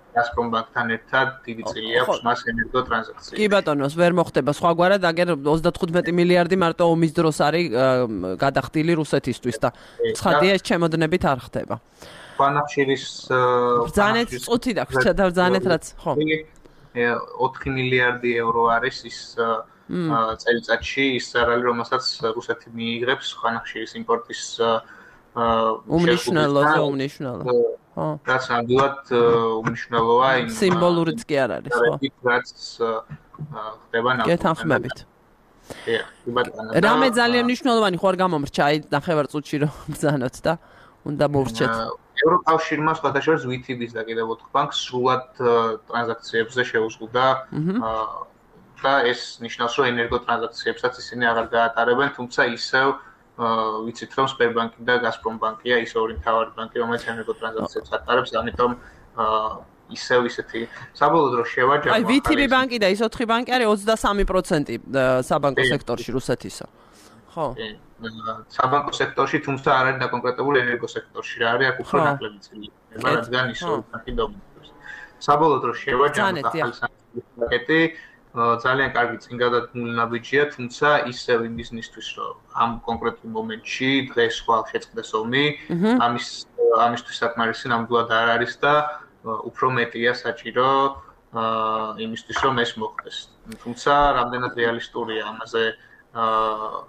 გაზპრომ ბანკთან ერთად დიდი წილი აქვს მას ენერგო ტრანზაქციებში. კი ბატონოს ვერ მოხდება სხვაგვარად, აგერ ოცდათხუთმეტი მილიარდი მარტო ომის დროს არის გადახდილი რუსეთისთვის და ცხადია ეს ჩემოდნებით არ ხდება. ქვანახშირის ბრძანეთ წუთი დაგვრჩა და ბრძანეთ რაც ხო. ოთხი მილიარდი ევრო არის ის წელიწადში ის ზარალი, რომელსაც რუსეთი მიიღებს ქვანახშირის იმპორტის უმნიშვნელო და უმნიშვნელო. ხო. რაც ნამდვილად უმნიშვნელოა იმ სიმბოლურიც კი არ არის, ხო. რაც ხდება ნამდვილად. გეთანხმებით. კი, ბატონო. რამე ძალიან მნიშვნელოვანი ხო არ გამომრჩა, აი ნახევარ წუთში რომ ბრძანოთ და უნდა მოვრჩეთ. ევროკავშირმა სხვათა შორის ვითიბის და კიდევ ოთხ ბანკს სრულად ტრანზაქციებზე შეუზღუდა და ეს ნიშნავს, რომ ენერგო ტრანზაქციებსაც ისინი აღარ გაატარებენ, თუმცა ისევ ვიცით, რომ სპერბანკი და გაზპრომ ბანკია ის ორი მთავარი ბანკი, რომელიც ენერგო ტრანზაქციებს ატარებს, ამიტომ ისევ ისეთი საბოლოო დრო შევაჯამო. აი ვითიბი ბანკი და ის ოთხი ბანკი არის ოცდასამი პროცენტი საბანკო სექტორში რუსეთისა. ხო. საბანკო სექტორში, თუმცა არ არის დაკონკრეტებული ენერგო სექტორში, რა არის აქ უფრო ნაკლები წილი, რადგან ის უკანკი დომინირებს. საბოლოოდ რო შევაჯამოთ ახალი სანქციების პაკეტი, ძალიან კარგი წინ გადადგმული ნაბიჯია, თუმცა ისევ იმ ბიზნესთვის, რომ ამ კონკრეტულ მომენტში დღეს ხვალ შეწყდეს ომი, ამის ამისთვის საკმარისი ნამდვილად არ არის და უფრო მეტია საჭირო იმისთვის, რომ ეს მოხდეს. თუმცა რამდენად რეალისტურია ამაზე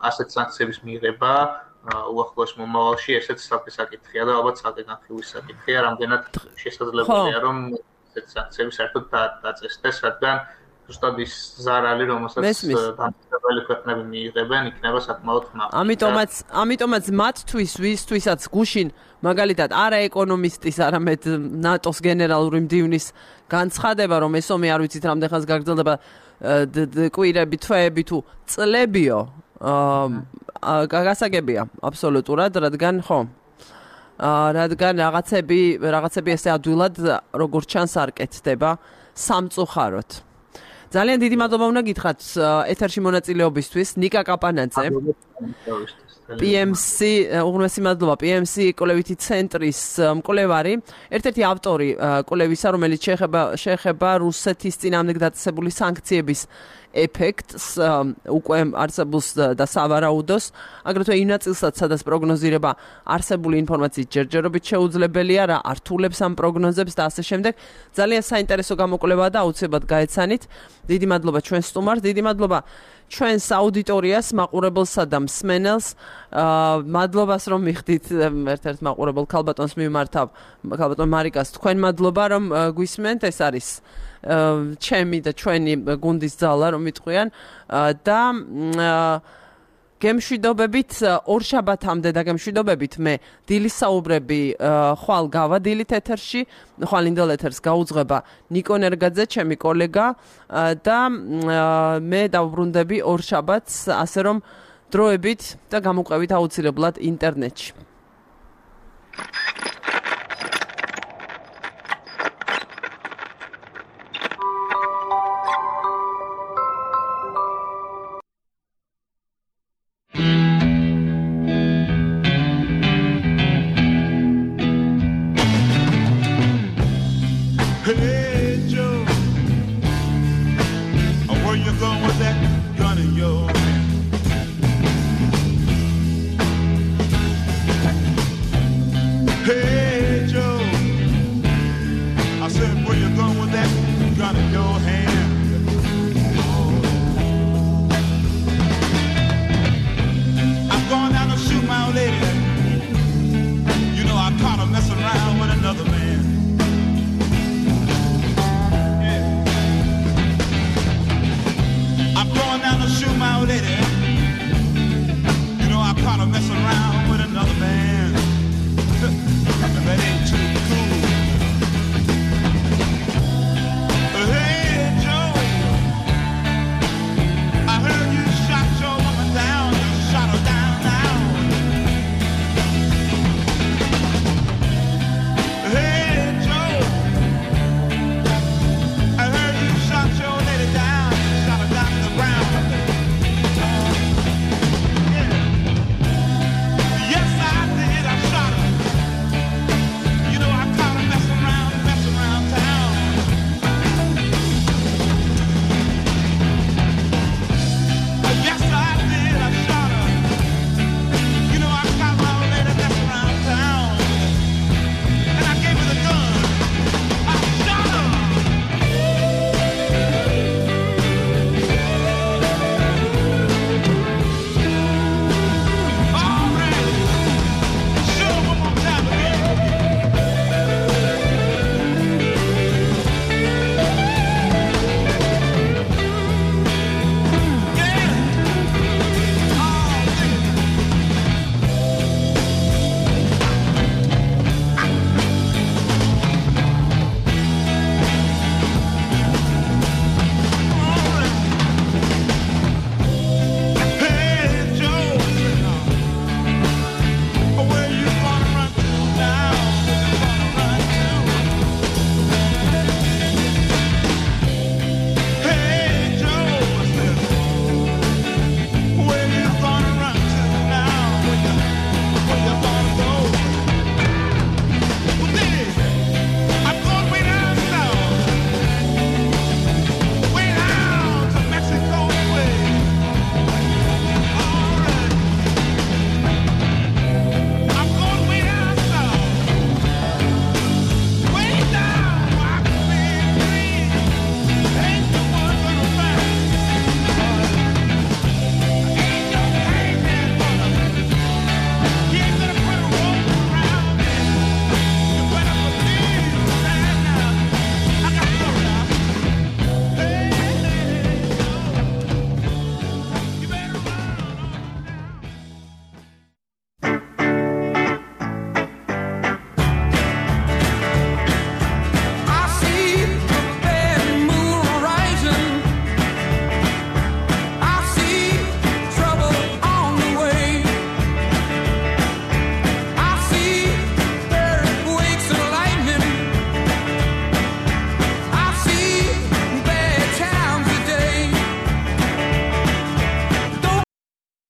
ასეთ სანქციების მიღება უახლოეს მომავალში, ესეც საფის საკითხია და ალბათ საკითხი განხილვის საკითხია, რამდენად შესაძლებელია, რომ ესეთ სანქციები საერთოდ დაწესდეს, რადგან ზუსტად ის ზარალი, რომელსაც დამსწრებელი ქვეყნები მიიღებენ, იქნება საკმაოდ ხმაური. ამიტომაც, ამიტომაც მათთვის, ვისთვისაც გუშინ მაგალითად არა ეკონომისტის, არამედ ნატოს გენერალური მდივნის განცხადება, რომ ეს ომი არ ვიცით რამდენ ხანს გაგრძელდება, კვირები, თვეები თუ წლებიო, გასაგებია აბსოლუტურად, რადგან ხო, რადგან რაღაცები, რაღაცები ესე ადვილად როგორც ჩანს არ კეთდება სამწუხაროდ. ძალიან დიდი მადლობა უნდა გითხრათ ეთერში მონაწილეობისთვის ნიკა კაპანაძე. პი ემ სი, უღრმესი მადლობა პი ემ სი კვლევითი ცენტრის მკვლევარი, ერთ-ერთი ავტორი კვლევისა, რომელიც შეეხება შეეხება რუსეთის წინააღმდეგ დაწესებული სანქციების ეფექტს უკვე არსებულს და სავარაუდოს, აგრეთვე იმ ნაწილსაც, სადაც პროგნოზირება არსებული ინფორმაციის ჯერჯერობით შეუძლებელია, რა ართულებს ამ პროგნოზებს და ასე შემდეგ. ძალიან საინტერესო გამოკვლევაა და აუცილებლად გაეცანით. დიდი მადლობა ჩვენ სტუმარს, დიდი მადლობა ჩვენს აუდიტორიას, მაყურებელსა და მსმენელს. მადლობას რომ მიხდით ერთ-ერთ მაყურებელ ქალბატონს მიმართავ, ქალბატონ მარიკას, თქვენ მადლობა რომ გვისმენთ, ეს არის ჩემი და ჩვენი გუნდის ძალა რომ მიტყვიან და გემშვიდობებით ორ შაბათამდე და გემშვიდობებით მე დილის საუბრები ხვალ გავადილით ეთერში, ხვალინდელ ეთერს გაუძღვება ნიკო ნერგაძე, ჩემი კოლეგა და მე დავბრუნდები ორ შაბათს, ასე რომ დროებით და გამოყვებით აუცილებლად ინტერნეტში.